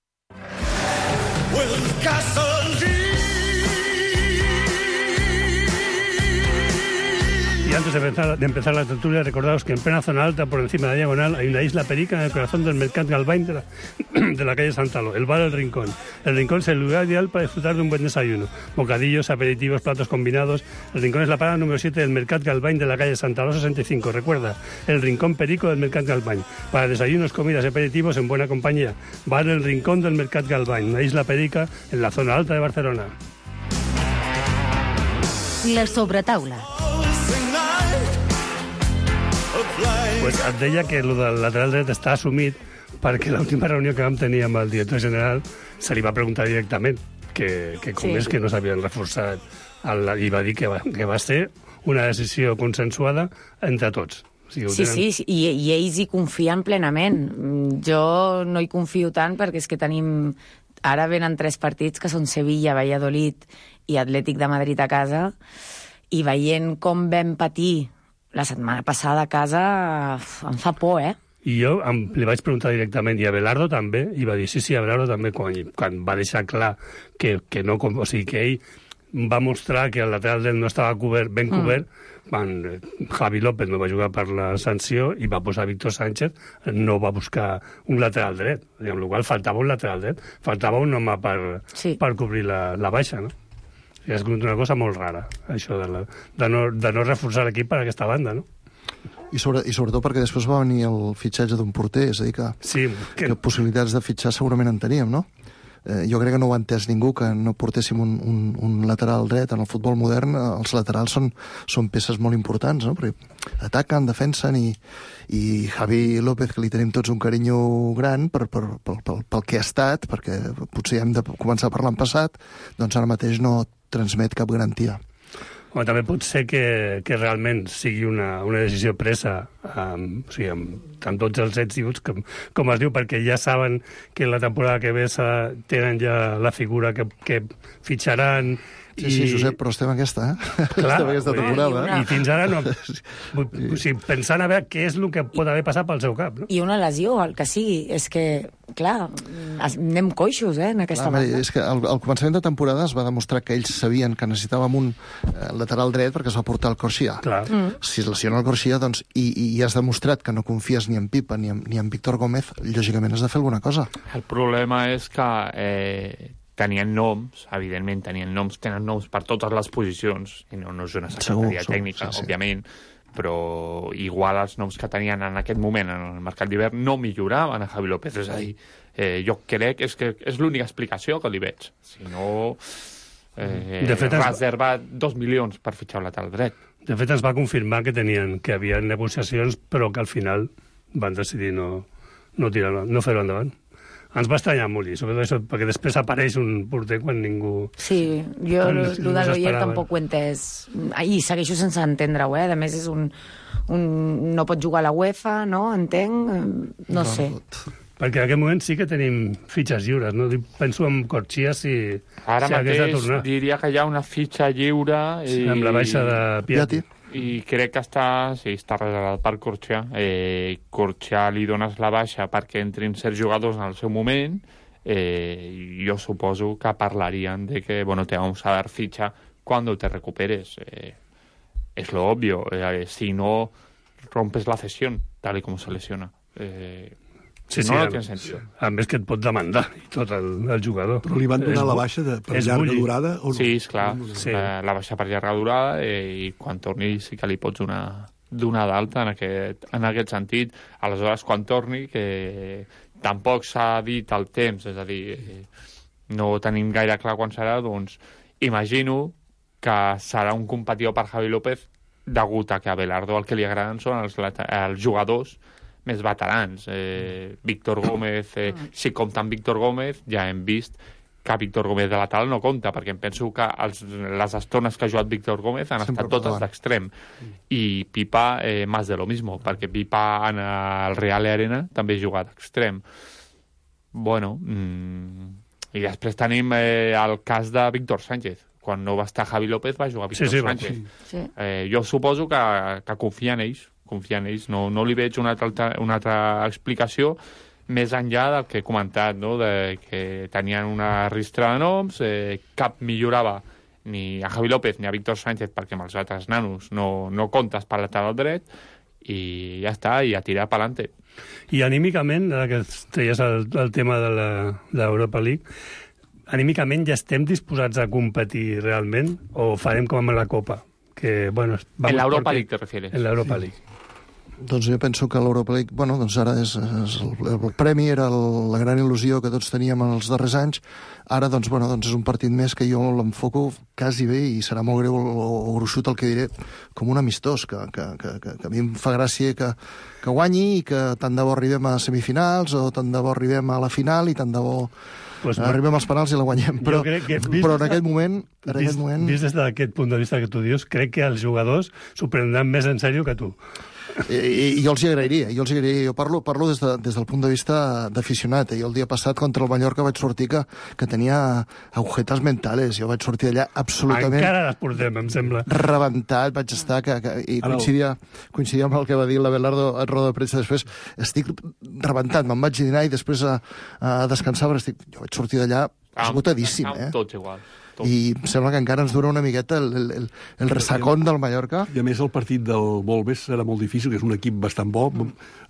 Y antes de empezar la tertulia, recordaos que en plena zona alta, por encima de la diagonal, hay una isla Perica en el corazón del Mercat Galvany de la calle Santalo, el bar El Rincón. El Rincón es el lugar ideal para disfrutar de un buen desayuno. Bocadillos, aperitivos, platos combinados. El Rincón es la parada número 7 del Mercat Galvany de la calle Santalo 65. Recuerda, el Rincón Perico del Mercat Galvany. Para desayunos, comidas y aperitivos en buena compañía. Bar El Rincón del Mercat Galvany, una isla Perica en la zona alta de Barcelona. La sobretaula. Pues et deia que el del lateral dret està assumit perquè l'última reunió que vam tenir amb el director general se li va preguntar directament que com és que no s'havien reforçat i va dir que va ser una decisió consensuada entre tots. O sigui, sí, i ells hi confien plenament. Jo no hi confio tant perquè és que tenim... Ara venen 3 partits que són Sevilla, Valladolid i Atlètic de Madrid a casa, i veient com vam patir la setmana passada a casa em fa por, I jo li vaig preguntar directament, i Abelardo també, i va dir sí, Abelardo també, quan va deixar clar que no, o sigui, que ell va mostrar que el lateral dret no estava ben cobert, Javi López no va jugar per la sanció i va posar Víctor Sánchez, no va buscar un lateral dret, amb la qual faltava un lateral dret, faltava un home per cobrir la baixa, no? És una cosa molt rara, això de no reforçar l'equip per aquesta banda, no? I sobretot perquè després va venir el fitxatge d'un porter, és a dir, que possibilitats de fitxar segurament en teníem, no? Jo crec que no ho ha entès ningú, que no portéssim un lateral dret. En el futbol modern els laterals són peces molt importants, no? Perquè ataquen, defensen, i Javi López, que li tenim tots un carinyo gran pel que ha estat, perquè potser hem de començar parlant passat, doncs ara mateix no transmet cap garantia. Home, també pot ser que realment sigui una decisió presa amb tots els ets i uts, com es diu, perquè ja saben que la temporada que ve tenen ja la figura que fitxaran. Sí, Josep, però estem aquesta, Clar, estem aquesta temporada. I fins ara no. Pensant a veure què és el que pot haver passat pel seu cap. No? I una lesió, el que sigui. És que, clar, anem coixos, en aquesta banda. És que al començament de temporada es va demostrar que ells sabien que necessitàvem un lateral dret perquè es va portar el Corxia. Si es lesiona el Corxia, doncs, i has demostrat que no confies ni en Pipa ni en Víctor Gómez, lògicament has de fer alguna cosa. El problema és que tenien noms, evidentment tenen noms per totes les posicions, i no és una secretaria tècnica, òbviament, però igual els noms que tenien en aquest moment en el mercat d'hivern no milloraven a Javi López, és a dir, jo crec que és l'única explicació que li veig. Si no, reserva 2 milions per fitxar un lateral dret. De fet, es va confirmar que havia negociacions, però que al final van decidir no fer-ho endavant. Ens va estranyar molt, sobretot això, perquè després apareix un porter quan ningú... Sí, jo el de l'Oyer tampoc ho he entès. I segueixo sense entendre-ho, A més, és no pot jugar a la UEFA, no? Entenc? No sé. Perquè en aquest moment sí que tenim fitxes lliures, no? Penso en Corxia si ara mateix diria que hi ha una fitxa lliure amb la baixa de Piatti. I crec que està reservat per Corxia. Corxia li dones la baixa perquè entrin certs jugadors en el seu moment. Jo suposo que parlarien de que, te vamos a dar ficha cuando te recuperes. Es lo obvio. Si no, rompes la cesión, tal y como se lesiona. No té sentit. A més que et pot demandar i tot el jugador. Però li van donar la baixa per llarga durada? O no? Sí, esclar. La baixa per llarga durada i quan torni sí que li pots donar d'alta en aquest sentit. Aleshores, quan torni, que tampoc s'ha dit el temps, és a dir, no tenim gaire clar quan serà, doncs imagino que serà un competidor per Javi López degut a que a Belardo el que li agraden són els jugadors més veterans. Víctor Gómez, si compta amb Víctor Gómez, ja hem vist que Víctor Gómez de lateral no compta, perquè em penso que les estones que ha jugat Víctor Gómez han estat totes d'extrem. I Pipa, más de lo mismo, perquè Pipa en el Real Arena també juga d'extrem. I després tenim el cas de Víctor Sánchez. Quan no va estar Javi López va jugar Víctor Sánchez. Jo suposo que confia en ells. No li veig una altra explicació més enllà del que he comentat, no? De que tenien una ristra de noms, cap millorava ni a Javi López ni a Víctor Sánchez perquè amb els altres nanos no comptes per lateral dret i ja està, i a tirar per l'ante. I anímicament, ara que treies el tema de l'Europa League, anímicament ja estem disposats a competir realment o farem com amb la Copa? En l'Europa League te refieres? En l'Europa League. Doncs jo penso que l'Europa League, doncs ara el premi era la gran il·lusió que tots teníem en els darrers anys. Ara, doncs és un partit més que jo l'enfoco quasi bé, i serà molt greu o gruixut el que diré, com un amistós, que a mi em fa gràcia que guanyi i que tant de bo arribem a semifinals o tant de bo arribem a la final i tant de bo arribem als penals i la guanyem. Però en aquest moment... Vist des d'aquest punt de vista que tu dius, crec que els jugadors s'ho prendran més en sèrio que tu. I jo els hi agrairia. Jo parlo des del punt de vista d'aficionat. Jo el dia passat contra el Mallorca vaig sortir que tenia agujetes mentales. Jo vaig sortir allà absolutament... Encara les portem, em sembla. Rebentat, vaig estar... I coincidia amb el que va dir la Belardo a roda de premsa després. Estic rebentat, me'n vaig dinar i després a descansar, però jo vaig sortir d'allà esgotadíssim. Tots igual. i em sembla que encara ens dura una miqueta el ressacón del Mallorca. I a més el partit del Wolves serà molt difícil, que és un equip bastant bo.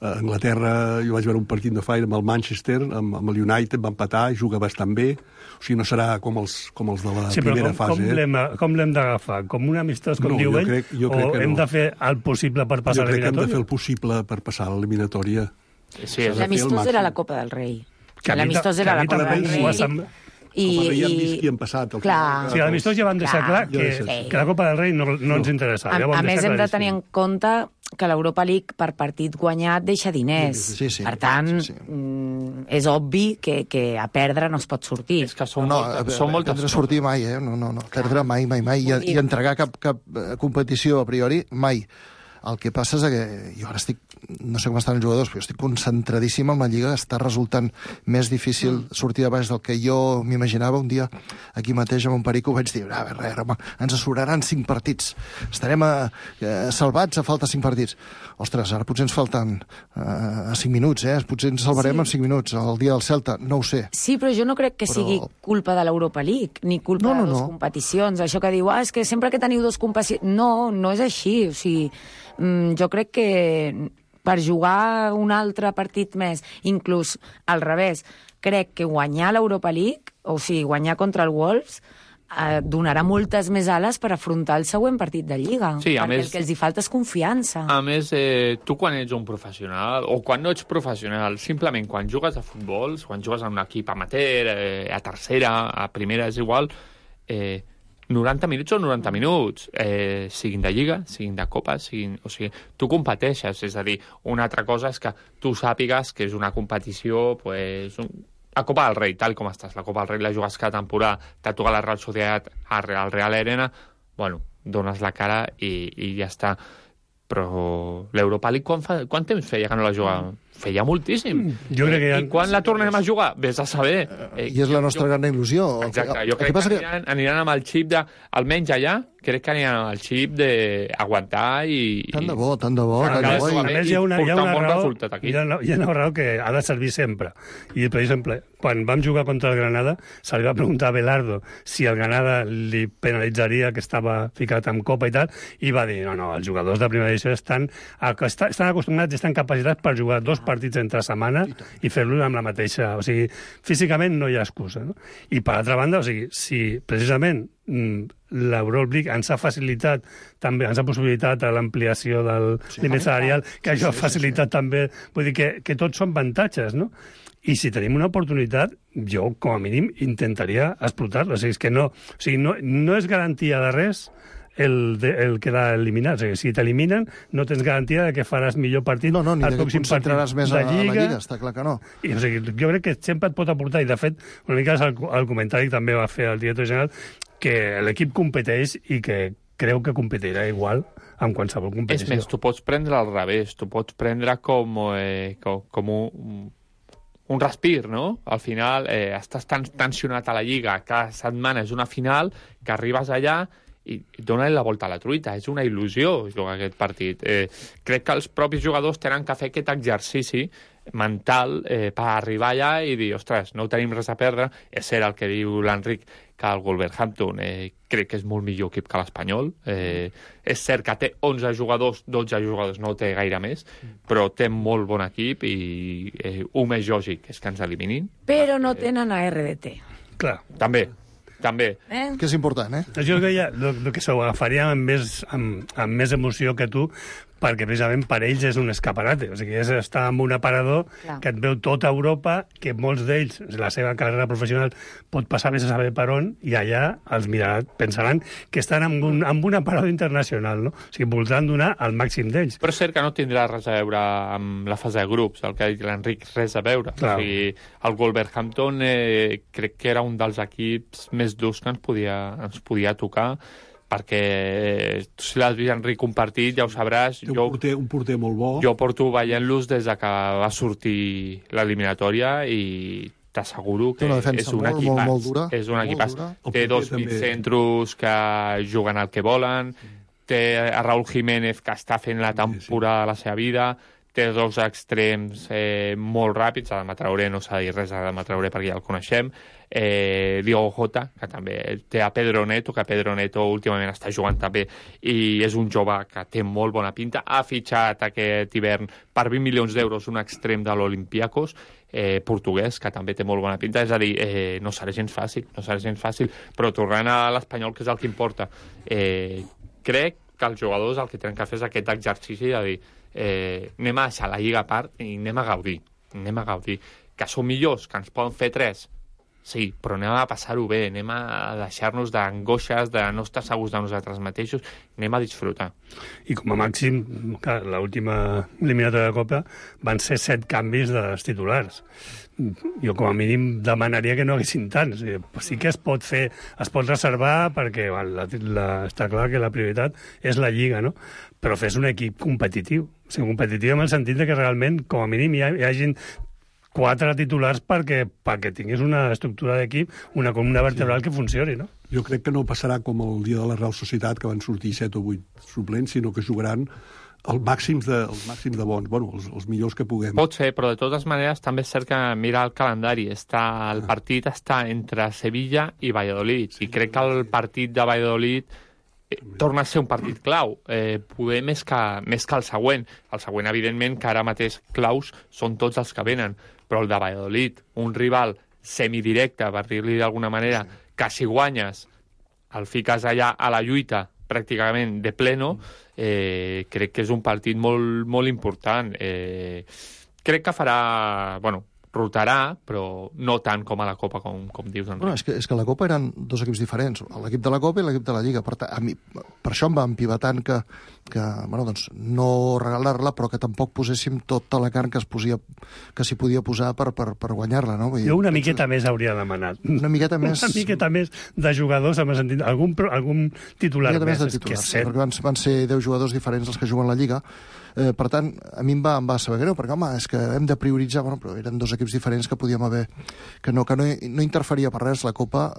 A Anglaterra jo vaig veure un partit de Fire amb el Manchester, amb el United, va empatar, juga bastant bé. O sigui, no serà com els de la primera fase. Com l'hem d'agafar? Com un amistós, com diu ell? O hem de fer el possible per passar a l'eliminatòria? Jo crec que hem de fer el possible per passar a l'eliminatòria. Sí, l'amistós era la Copa del Rei. L'amistós era la Copa del Rei. I hem vist qui han passat. Clar. Sí, a l'amistós ja vam deixar clar que la Copa del Rei no ens interessava. A més, hem de tenir en compte que l'Europa League per partit guanyat deixa diners. Per tant, és obvi que a perdre no es pot sortir. És que són moltes... Perdre sortir mai, No. Perdre mai. I entregar cap competició a priori, mai. El que passa és que jo ara no sé com estan els jugadors, però estic concentradíssim en la Lliga, està resultant més difícil sortir de baix del que jo m'imaginava. Un dia, aquí mateix, amb un Perico, vaig dir, ens sobraran 5 partits, estarem salvats a falta 5 partits. Ostres, ara potser ens falten 5 minuts, potser ens salvarem en 5 minuts, el dia del Celta, no ho sé. Sí, però jo no crec que sigui culpa de l'Europa League, ni culpa de dues competicions. Això que diu, és que sempre que teniu 2 competicions... No és així, o sigui... Jo crec que per jugar un altre partit més, inclús al revés, crec que guanyar l'Europa League, o sigui, guanyar contra el Wolves, donarà moltes més ales per afrontar el següent partit de Lliga, perquè el que els hi falta és confiança. A més, tu quan ets un professional, o quan no ets professional, simplement quan jugues a futbol, quan jugues en un equip amateur, a tercera, a primera, és igual... 90 minuts o 90 minuts, siguin de Lliga, siguin de Copa, o sigui, tu competeixes, és a dir, una altra cosa és que tu sàpigues que és una competició, pues, a Copa del Rei, tal com estàs, la Copa del Rei la jugues cada temporada, t'ha tocat la Real Societat al Real Arena, bueno, dones la cara i ja està. Però l'Europa League quant temps feia que no la jugava? Feia moltíssim. Jo crec que I quan la tornem a jugar? Vés a saber. I és la nostra gran il·lusió. Exacte. Jo crec que aniran amb el xip de... Almenys allà, crec que aniran amb el xip d'aguantar i... Tant de bo. A més, hi ha una raó que ha de servir sempre. I, per exemple, quan vam jugar contra el Granada, se li va preguntar a Belardo si el Granada li penalitzaria que estava ficat en Copa i tal, i va dir, no, els jugadors de primera edició estan acostumats i estan capacitats per jugar 2 partits entre setmana i fer-lo amb la mateixa... O sigui, físicament no hi ha excusa, no? I, per altra banda, o sigui, si precisament l'Europa League ens ha facilitat també, ens ha possibilitat l'ampliació del límit salarial, que això ha facilitat també, vull dir que tots són avantatges, no? I si tenim una oportunitat, jo, com a mínim, intentaria explotar-la. O sigui, és que no és garantia de res el quedar eliminat. O sigui, si t'eliminen, no tens garantia de que faràs millor partit al pròxim partit més de Lliga. La Lliga, està clar que no. I, o sigui, jo crec que sempre et pot aportar, i de fet, una mica el comentari que també va fer el director general, que l'equip competeix i que creu que competirà igual en qualsevol competició. És més, tu pots prendre al revés, tu pots prendre com un respir, no? Al final estàs tan tensionat a la Lliga, cada setmana és una final, que arribes allà i donen la volta a la truita. És una il·lusió jugar aquest partit. Crec que els propis jugadors tenen que fer aquest exercici mental per arribar allà i dir, ostres, no tenim res a perdre. És cert el que diu l'Enric, que el Wolverhampton crec que és molt millor equip que l'Espanyol. És cert que té 11 jugadors, 12 jugadors, no té gaire més, però té molt bon equip i un més lògic és que ens eliminin. Però no tenen a RDT. Clar. També. Que és important, Jo crec que s'ho agafaria amb més emoció que tu, perquè precisament per ells és un escaparate. O sigui, és estar en un aparador que et veu tota Europa, que molts d'ells, la seva carrera professional pot passar més a saber per on, i allà els pensaran que estan en un aparador internacional, no? O sigui, voldran donar el màxim d'ells. Però és cert que no tindrà res a veure amb la fase de grups, el que ha dit l'Enric, res a veure. O sigui, el Wolverhampton crec que era un dels equips més durs que ens podia tocar, perquè si l'has vist, Enric, un partit, ja ho sabràs. Un porter molt bo. Jo porto veient-los des que va sortir l'eliminatòria i t'asseguro que és un equipàs. Molt dura. És un equipàs. Té 2 mitjacentros que juguen al que volen, té a Raúl Jiménez, que està fent la temporada de la seva vida, té dos extrems molt ràpids. Adama Traoré, no s'ha de dir res d'Adama Traoré perquè ja el coneixem. Diogo Jota, que també té a Pedro Neto, que Pedro Neto últimament està jugant també i és un jove que té molt bona pinta. Ha fitxat aquest hivern per 20 milions d'euros un extrem de l'Olympiacos, portuguès, que també té molt bona pinta. És a dir, no serà gens fàcil, però tornant a l'Espanyol, que és el que importa, crec que els jugadors el que tenen que fer és aquest exercici de dir anem a deixar la Lliga a part i anem a gaudir. Que són millors, que ens poden fer 3, sí, però anem a passar-ho bé, anem a deixar-nos d'angoixes, de no estar segurs de nosaltres mateixos, anem a disfrutar. I com a màxim, l'última eliminatòria de Copa van ser 7 canvis dels titulars. Jo com a mínim demanaria que no haguessin tants. Sí que es pot fer, es pot reservar perquè està clar que la prioritat és la Lliga, no? Però fes un equip competitiu. O sigui, competitiu en el sentit que realment, com a mínim, hi hagin 4 titulars perquè tinguis una estructura d'equip, una columna vertebral que funcioni, no? Jo crec que no passarà com el dia de la Real Societat, que van sortir 7 o 8 suplents, sinó que jugaran els màxims de bons, bueno, els millors que puguem. Pot ser, però de totes maneres també és cert que mira el calendari. El partit està entre Sevilla i Valladolid, i crec que el partit de Valladolid torna a ser un partit clau, poder més que el següent. El següent, evidentment, que ara mateix claus són tots els que venen, però el de Valladolid, un rival semidirecte, per dir-li d'alguna manera, que si guanyes el fiques allà a la lluita pràcticament de pleno, crec que és un partit molt, molt important. Crec que farà... rotarà, però no tant com a la Copa, com dius, Enric. Bueno, és que a la Copa eren 2 equips diferents, l'equip de la Copa i l'equip de la Lliga. Per això em va empivar tant que no regalar-la, però que tampoc poséssim tota la carn que s'hi podia posar per guanyar-la, no? Jo una miqueta més hauria demanat. Una miqueta més de jugadors, en el sentit, algun titular més. Perquè van ser 10 jugadors diferents els que juguen la Lliga. Per tant, a mi em va saber greu, perquè, home, és que hem de prioritzar, però eren 2 equips diferents que podíem haver... que no interferia per res la Copa.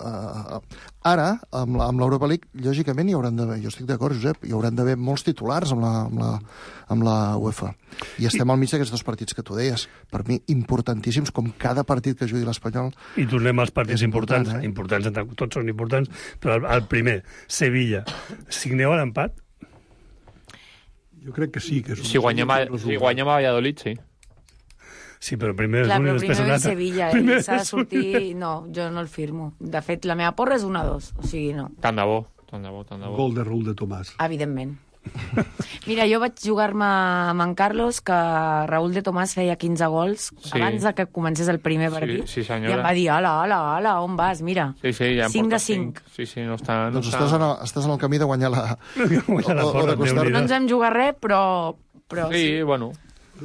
Ara, amb l'Europa League, lògicament hi hauran d'haver, jo estic d'acord, Josep, hi hauran d'haver molts titulars amb la UEFA. I estem al mig d'aquests 2 partits que tu deies, per mi importantíssims, com cada partit que jugui l'Espanyol. I tornem als partits importants. Tots són importants, però el primer, Sevilla. Signeu l'empat? Jo crec que sí. Si guanyem a Valladolid, sí. Sí, però primer és un i després un altre. Sevilla, s'ha de sortir... No, jo no el firmo. De fet, la meva porra és 1-2, o sigui, no. Tant de bo. Gol de Raúl de Tomàs. Evidentment. Mira, jo vaig jugar-me amb en Carlos, que Raúl de Tomàs feia 15 gols abans de que comencés el primer partit. Sí, senyora. I em va dir, ala, on vas? Mira, ja 5 de 5. Sí, no està... Doncs estàs en el camí de guanyar la... No ens hem jugat res, però sí, bueno.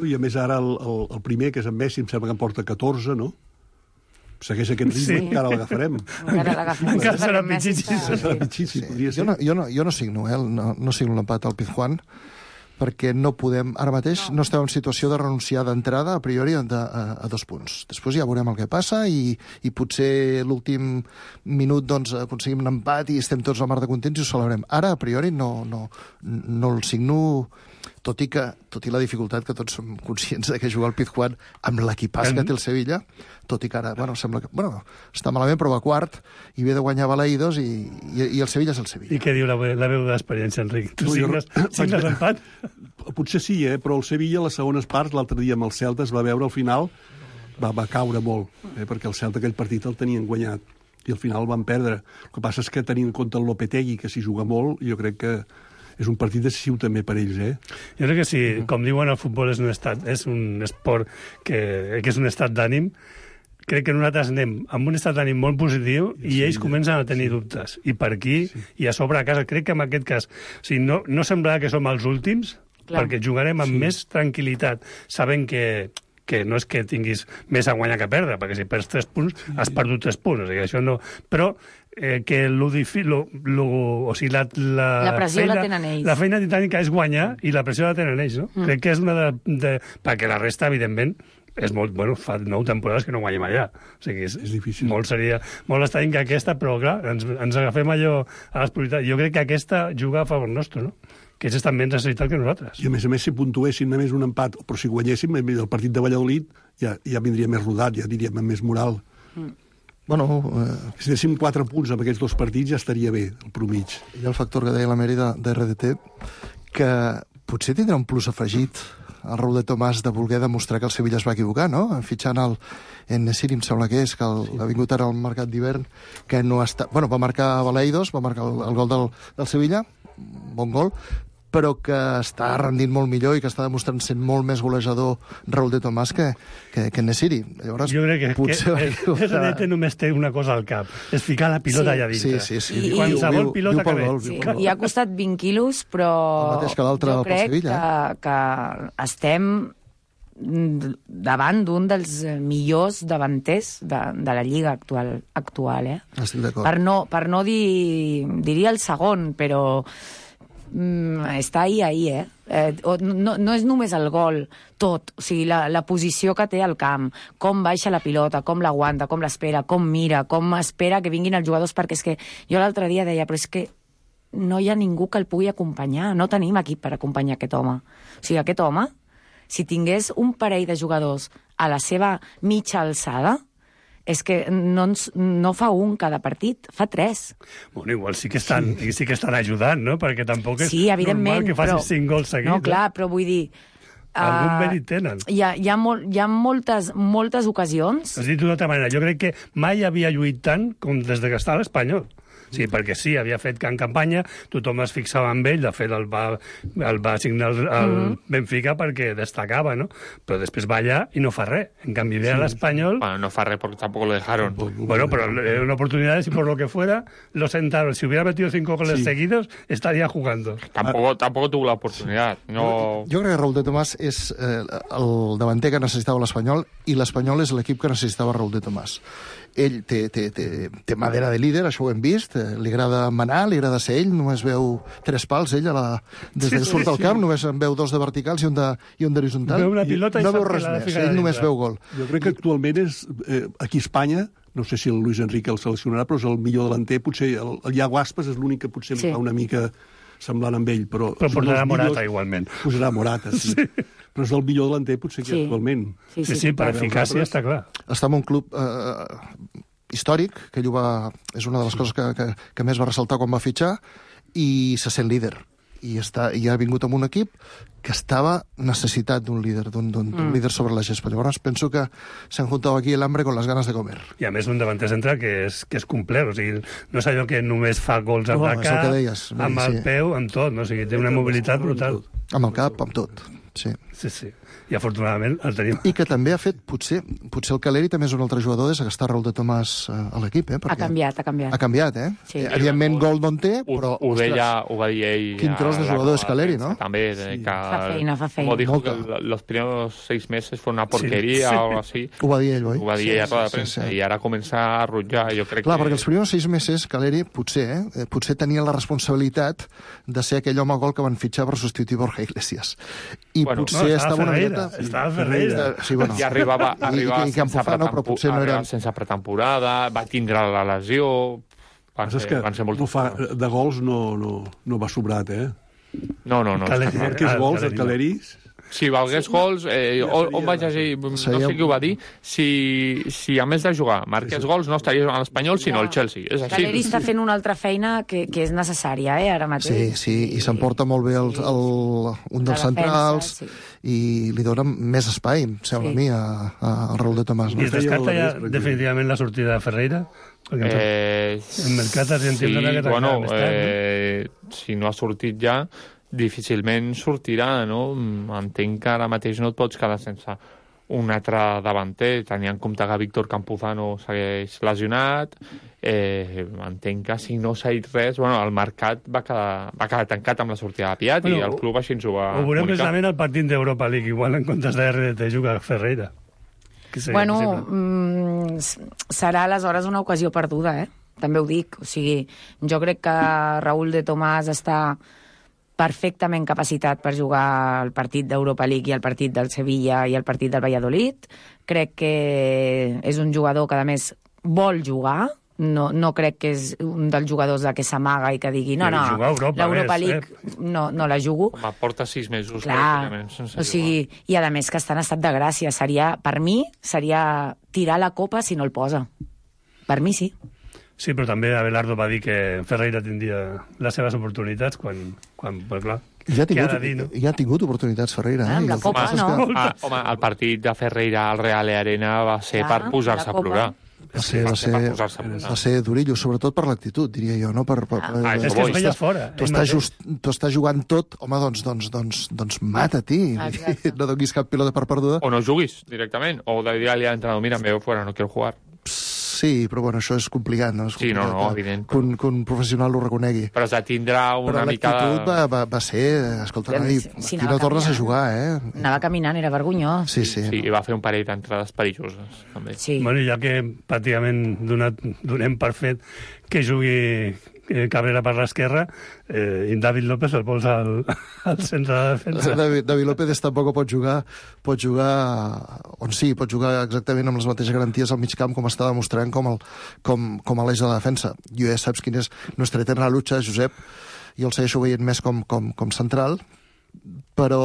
I a més ara el primer, que és en Messi, em sembla que en porta 14, no? Segueix aquest ritme, encara l'agafarem. Encara serà pitxitxi. Jo no signo, no signo l'empat al Pizjuán, perquè no podem... Ara mateix no estem en situació de renunciar d'entrada, a priori, a 2 punts. Després ja veurem el que passa i potser l'últim minut aconseguim un empat i estem tots a mar de contents i ho celebrem. Ara, a priori, no el signo... Tot i la dificultat que tots som conscients de que jugar al Pizjuán amb l'equipàs que té el Sevilla, tot i que ara, sembla que... està malament, però va quart, i ve de guanyar Balaïdos, i el Sevilla és el Sevilla. I què diu la veu d'experiència, Enric? Tu signes empat? Potser sí, però el Sevilla, a les segones parts, l'altre dia amb el Celta, es va veure al final, va caure molt, perquè el Celta aquell partit el tenien guanyat, i al final van perdre. El que passa és que tenint en compte el Lopetegui, que s'hi juga molt, jo crec que és un partit decisiu també per ells, Jo crec que sí, com diuen, el futbol és un esport que és un estat d'ànim. Crec que nosaltres anem amb un estat d'ànim molt positiu i ells comencen a tenir dubtes. I per aquí, i a sobre a casa, crec que en aquest cas, no semblarà que som els últims, perquè jugarem amb més tranquil·litat, sabent que no és que tinguis més a guanyar que a perdre, perquè si perds 3 punts, has perdut 3 punts. O sigui, això no... Però que la pressió la tenen ells. La feina titànica és guanyar i la pressió la tenen ells, no? Crec que és una perquè la resta, evidentment, és molt, bueno, fa 9 temporades que no guanyem allà. O sigui, és difícil. Seria molt estrany que aquesta, però clar, ens agafem allò a les prioritats. Jo crec que aquesta juga a favor nostre, no? Que ells estan menys necessitats que nosaltres. I a més, si puntuessin només un empat, però si guanyéssim, el partit de Valladolid ja vindria més rodat, ja diríem amb més moral. Bueno, si anéssim 4 punts amb aquests 2 partits ja estaria bé, el promig. Hi ha el factor que deia la Meri de RDT, que potser tindrà un plus afegit el Raúl de Tomàs de voler demostrar que el Sevilla es va equivocar, no? Fitxant el Nesiri, em sembla que és, que ha vingut ara al mercat d'hivern, que no està... Bueno, va marcar Baleidos, va marcar el gol del Sevilla, bon gol, però que està rendint molt millor i que està demostrant sent molt més golejador Raúl de Tomàs que Nesiri. Llavors, jo crec que potser només té una cosa al cap, és ficar la pilota allà dintre. Sí. Qualsevol pilota que ve. I ha costat 20 quilos, però jo crec que estem davant d'un dels millors davanters de la Lliga actual, Estic d'acord. Per no dir... Diria el segon, però... està ahí, no és només el gol, tot, o sigui, la posició que té al camp, com baixa la pilota, com l'aguanta, com l'espera, com mira, com espera que vinguin els jugadors, perquè és que jo l'altre dia deia, però és que no hi ha ningú que el pugui acompanyar, no tenim equip per acompanyar aquest home. O sigui, aquest home, si tingués un parell de jugadors a la seva mitja alçada, és que no fa un cada partit, fa 3. Bueno, igual sí que estan ajudant, no? Perquè tampoc és normal que facis 5 gols seguits. No, clar, però vull dir... Algun mèrit tenen. Hi ha moltes ocasions... Has dit d'una altra manera, jo crec que mai havia lluit tant com des que està a l'Espanyol. Sí, perquè sí, havia fet can campanya, tothom es fixava en ell, de fet el va signar el Benfica perquè destacava, no? Però després va allà i no fa res. En canvi, ve a l'Espanyol... Bueno, no fa res porque tampoco lo dejaron. Bueno, pero era una oportunidad, si por lo que fuera, lo sentaron. Si hubiera metido 5 goles seguidos, estaría jugando. Tampoco tuvo la oportunidad. No... Jo crec que Raúl de Tomàs és el davanter que necessitava l'Espanyol i l'Espanyol és l'equip que necessitava Raúl de Tomàs. Ell té madera de líder, això ho hem vist, li agrada manar, li agrada ser ell, només veu 3 pals, ell, des que surt al camp, només en veu 2 de verticals i un d'horitzontal. Veu una pilota i no veu res més, ell només veu gol. Jo crec que actualment és, aquí a Espanya, no sé si el Luis Enrique el seleccionarà, però és el millor delanter, potser el Iago Aspas és l'únic que potser em fa una mica semblant amb ell, però posarà Morata igualment. Posarà Morata, sí. Però és el millor delanter potser que actualment. Sí, per eficàcia està clar. Està en un club històric, que ell és una de les coses que més va ressaltar quan va fitxar, i se sent líder. I ha vingut amb un equip que estava necessitat d'un líder, d'un líder sobre la gespa. Llavors penso que s'han juntado aquí el hambre con las ganas de comer. I a més un davanter central que és complet, o sigui, no és allò que només fa gols amb la cap, amb el peu, amb tot, no? O sigui, té una mobilitat brutal. Amb el cap, amb tot, sí. Sí. I afortunadament el tenim. I que també ha fet, potser el Caleri també és un altre jugador des que està Raúl de Tomàs a l'equip, Ha canviat. Ha canviat, Sí. Evidentment gol no en té, però... Ho va dir ell... Quin tros de jugador és Caleri, no? També, Fa feina. Como dijo que los primeros 6 meses fue una porquería o algo así. Ho va dir ell, oi? Ho va dir ell a tota la premsa. I ara comença a rotllar, jo crec que... Clar, perquè els primers 6 mesos Caleri potser tenia la responsabilitat de ser aquell home gol que van fitxar per substituir Borja Iglesias. I potser estava una miqueta... Estava Ferreira. Sí, bueno. I arribava sense pretemporada, va tindre la lesió... Van ser molt... De gols no va sobrat, No. Marques gols, el Caleri... Si valgués gols, on vaig llegir, no sé qui ho va dir, si a més de jugar marques gols no estaria a l'Espanyol, sinó al Chelsea. És així. Caleri està fent una altra feina que és necessària, ara mateix. Sí, i s'emporta molt bé un dels centrals i li dona més espai, em sembla a mi, al Raúl de Tomàs. I es descarta ja definitivament la sortida de Ferreira? El mercat argentí dona que bueno, si no ha sortit ja, difícilment sortirà, no? Entenc que ara mateix no et pots quedar sense un altre davanter, tenint en compte que Víctor Campuzano segueix lesionat, entenc que si no s'ha dit res, bueno, el mercat va quedar tancat amb la sortida de Piat i el club així ens ho va comunicar. Ho veurem precisament al partit d'Europa League, igual en comptes de RDT juga Ferreira. Bueno, serà aleshores una ocasió perduda, també ho dic. O sigui, jo crec que Raúl de Tomàs està perfectament capacitat per jugar el partit d'Europa League i el partit del Sevilla i el partit del Valladolid. Crec que és un jugador que, a més, vol jugar. No crec que és un dels jugadors que s'amaga i que digui l'Europa League no la jugo. Home, porta 6 mesos. Clar, o sigui, i a més que està en estat de gràcia. Per mi, seria tirar la copa si no el posa. Per mi sí. Sí, però també Abelardo va dir que Ferreira tindria les seves oportunitats quan clar, ja ha tingut oportunitats Ferreira. Amb la copa, no? Home, el partit de Ferreira al Real Arena va ser per posar-se a plorar. Va ser durillo, sobretot per l'actitud, diria jo, no? És que es veia fora. Tu estàs jugant tot, home, doncs mata-t'hi. No donis cap pilota per perduda. O no juguis directament, o de dir-li a l'entrenador, mira, me veo fuera, no quiero jugar. Sí, però bueno, això és complicat, no? Sí, no, evident. Que un professional ho reconegui. Però es tindrà una mica... Però l'actitud va ser... Escolta, aquí no tornes a jugar, Anava caminant, era vergonyós. Sí. Sí, i va fer un parell d'entrades perilloses, també. Sí. Bueno, ja que pràcticament donem per fet que jugui Cabrera per l'esquerra i David López el posa al centre de defensa. David López tampoc pot jugar on sí, pot jugar exactament amb les mateixes garanties al mig camp com està demostrant com a l'eix de la defensa. Jo ja saps quin és nostra eterna lucha, Josep, i el segueixo veient més com central, però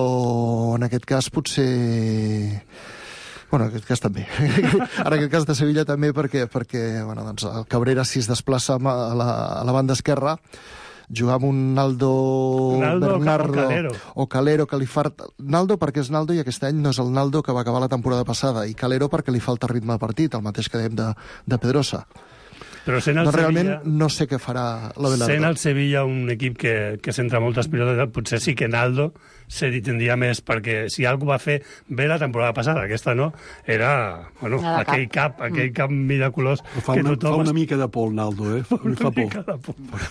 en aquest cas potser... Bueno, en aquest cas també. En aquest cas de Sevilla també perquè bueno, doncs el Cabrera, si es desplaça a la banda esquerra, jugar amb un Naldo Bernardo o Calero, que li falta... Naldo perquè és Naldo i aquest any no és el Naldo que va acabar la temporada passada, i Calero perquè li falta ritme de partit, el mateix que dèiem de Pedrosa. Però realment no sé què farà l'Abelardo. Sent el Sevilla un equip que centra moltes pilotes, potser sí que Naldo se tindria més, perquè si algú va fer bé la temporada passada, aquesta no, era aquell cap miraculós que tothom... Fa una mica de por, Naldo, Fa por.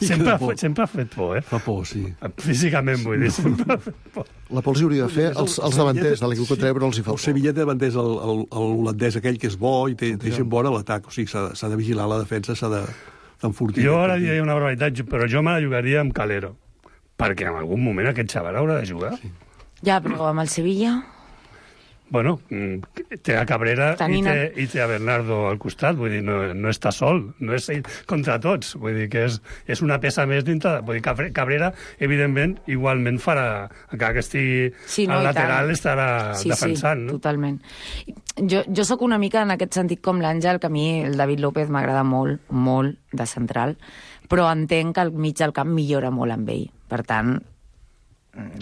Sempre ha fet por, Fa por, sí. Físicament, vull dir, sempre ha fet por. La por els hauria de fer els davanters de l'equip contrari, però els hi fa por. El Sevilla té davanters l'holandès aquell que és bo i té gent bona a l'atac, o sigui, s'ha de vigilar la defensa, s'ha d'enfortir. Jo ara diria una barbaritat, però jo me la jugaria amb Calero, perquè en algun moment aquest xaval haurà de jugar. Sí. Ja, però amb el Sevilla... Bueno, té a Cabrera i té a Bernardo al costat, vull dir, no està sol, no és ell contra tots, vull dir que és una peça més dintre, vull dir, Cabrera, evidentment, igualment farà, encara que estigui al lateral, estarà defensant, no? Sí, totalment. Jo sóc una mica en aquest sentit com l'Àngel, que a mi el David López m'agrada molt, molt de central, però entenc que al mig del camp millora molt amb ell. Per tant,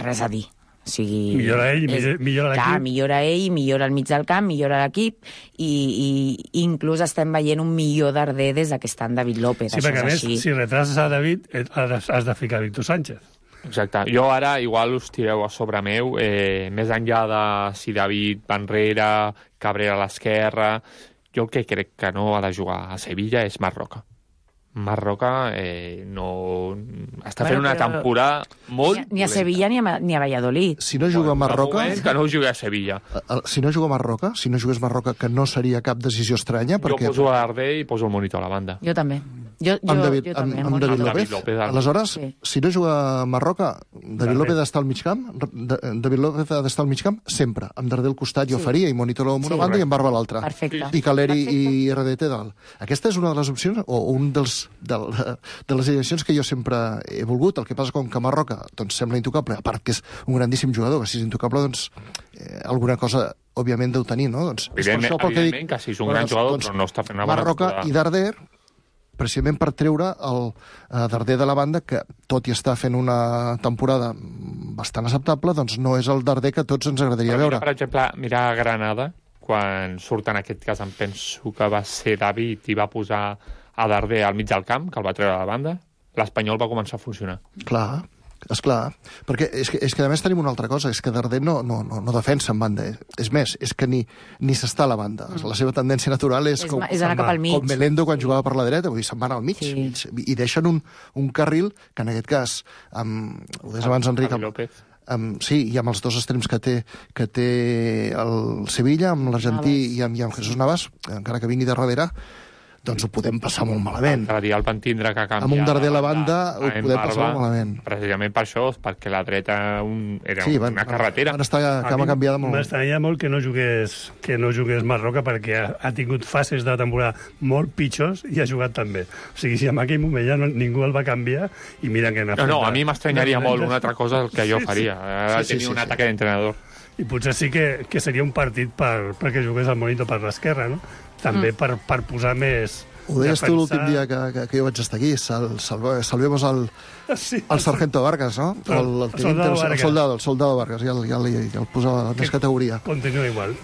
res a dir. O sigui, millora ell, millora l'equip. Clar, millora ell, millora el mig del camp, millora l'equip, i inclús estem veient un millor Darder des que està en David López. Sí, perquè a més, si retrases a David, has de ficar Víctor Sánchez. Exacte. Jo ara igual us tireu a sobre meu, més enllà de si David va enrere, Cabrera a l'esquerra, jo el que crec que no ha de jugar a Sevilla és Marc Roca. Marc Roca està fent una temporada molt... Ni a Sevilla ni a Valladolid. Si no juga Marc Roca... Que no jugui a Sevilla. Si no juga Marc Roca, si no jugués Marc Roca, que no seria cap decisió estranya, perquè... Jo poso a Darder i poso el monitor a la banda. Jo també. Amb David López. Aleshores, si no juga Marc Roca, David López ha d'estar al mig camp, David López ha d'estar al mig camp sempre. Amb Darder al costat jo faria, i monitor amb una banda i amb Barba a l'altra. Perfecte. I Caleri i RDT dalt. Aquesta és una de les opcions, o un de les direccions que jo sempre he volgut. El que passa com que Marc Roca doncs, sembla intocable, a part que és un grandíssim jugador, que si és intocable, doncs alguna cosa, òbviament, deu tenir, no? Doncs, evidentment que si és un gran jugador, però no està fent una bona Marc Roca i Darder, precisament per treure el Darder de la banda, que tot i estar fent una temporada bastant acceptable, doncs no és el Darder que tots ens agradaria veure. Per exemple, mira Granada, quan surt en aquest cas, em penso que va ser David i va posar a Darder al mig del camp, que el va treure a la banda, l'Espanyol va començar a funcionar. Clar, esclar, perquè és que a més tenim una altra cosa, és que Darder no defensa en banda, és més, és que ni s'està a la banda. La seva tendència natural és com Melendo quan jugava per la dreta, vull dir, se'n van al mig, i deixen un carril que en aquest cas, ho deies abans, Enric, sí, i amb els dos extrems que té el Sevilla, amb l'argentí i amb Jesús Navas, encara que vingui de darrere, doncs ho podem passar molt malament. L'altre dia el van tindre que canviar. Amb un darder a la banda ho podem passar molt malament. Precisament per això, perquè la dreta era una carretera. Van estar cama canviada molt. M'estranya molt que no jugués Marroca, perquè ha tingut fases de temporada molt pitjors i ha jugat també. O sigui, si en aquell moment ja ningú el va canviar, i mira que n'ha fet... No, a mi m'estranyaria molt una altra cosa el que jo faria. Tenir un atac d'entrenador. I potser sí que seria un partit perquè jugués el Monito per l'esquerra, no? També per posar més... Ho deies tu l'últim dia que jo vaig estar aquí. Salvemos al Sargento Vargas, no? El soldado Vargas, ja el posava en més categoria. Continua igual.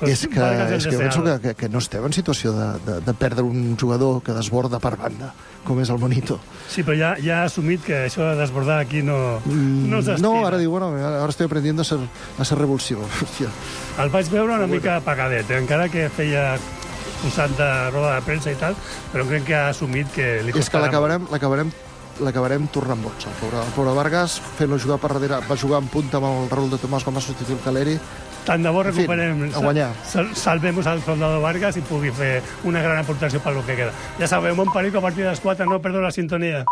És que penso que no estem en situació de perdre un jugador que desborda per banda, com és el Monito. Sí, però ja ha assumit que això de desbordar aquí no s'estima. No, ara diu, bueno, ahora estoy aprendiendo a ser revulsivo. El vaig veure una mica apagadet, encara que feia posat de roda de premsa i tal, però crec que ha assumit que li costarà... És que l'acabarem tornant boig. El pobre Vargas, fent-lo jugar per darrere, va jugar en punta amb el Raúl de Tomàs com a substitut Caleri. Tant de bo recuperem, a guanyar. Salvemos al soldado Vargas i pugui fer una gran aportació per lo que queda. Ja sabeu, Montpellier, a partir de les 4 no perdo la sintonia.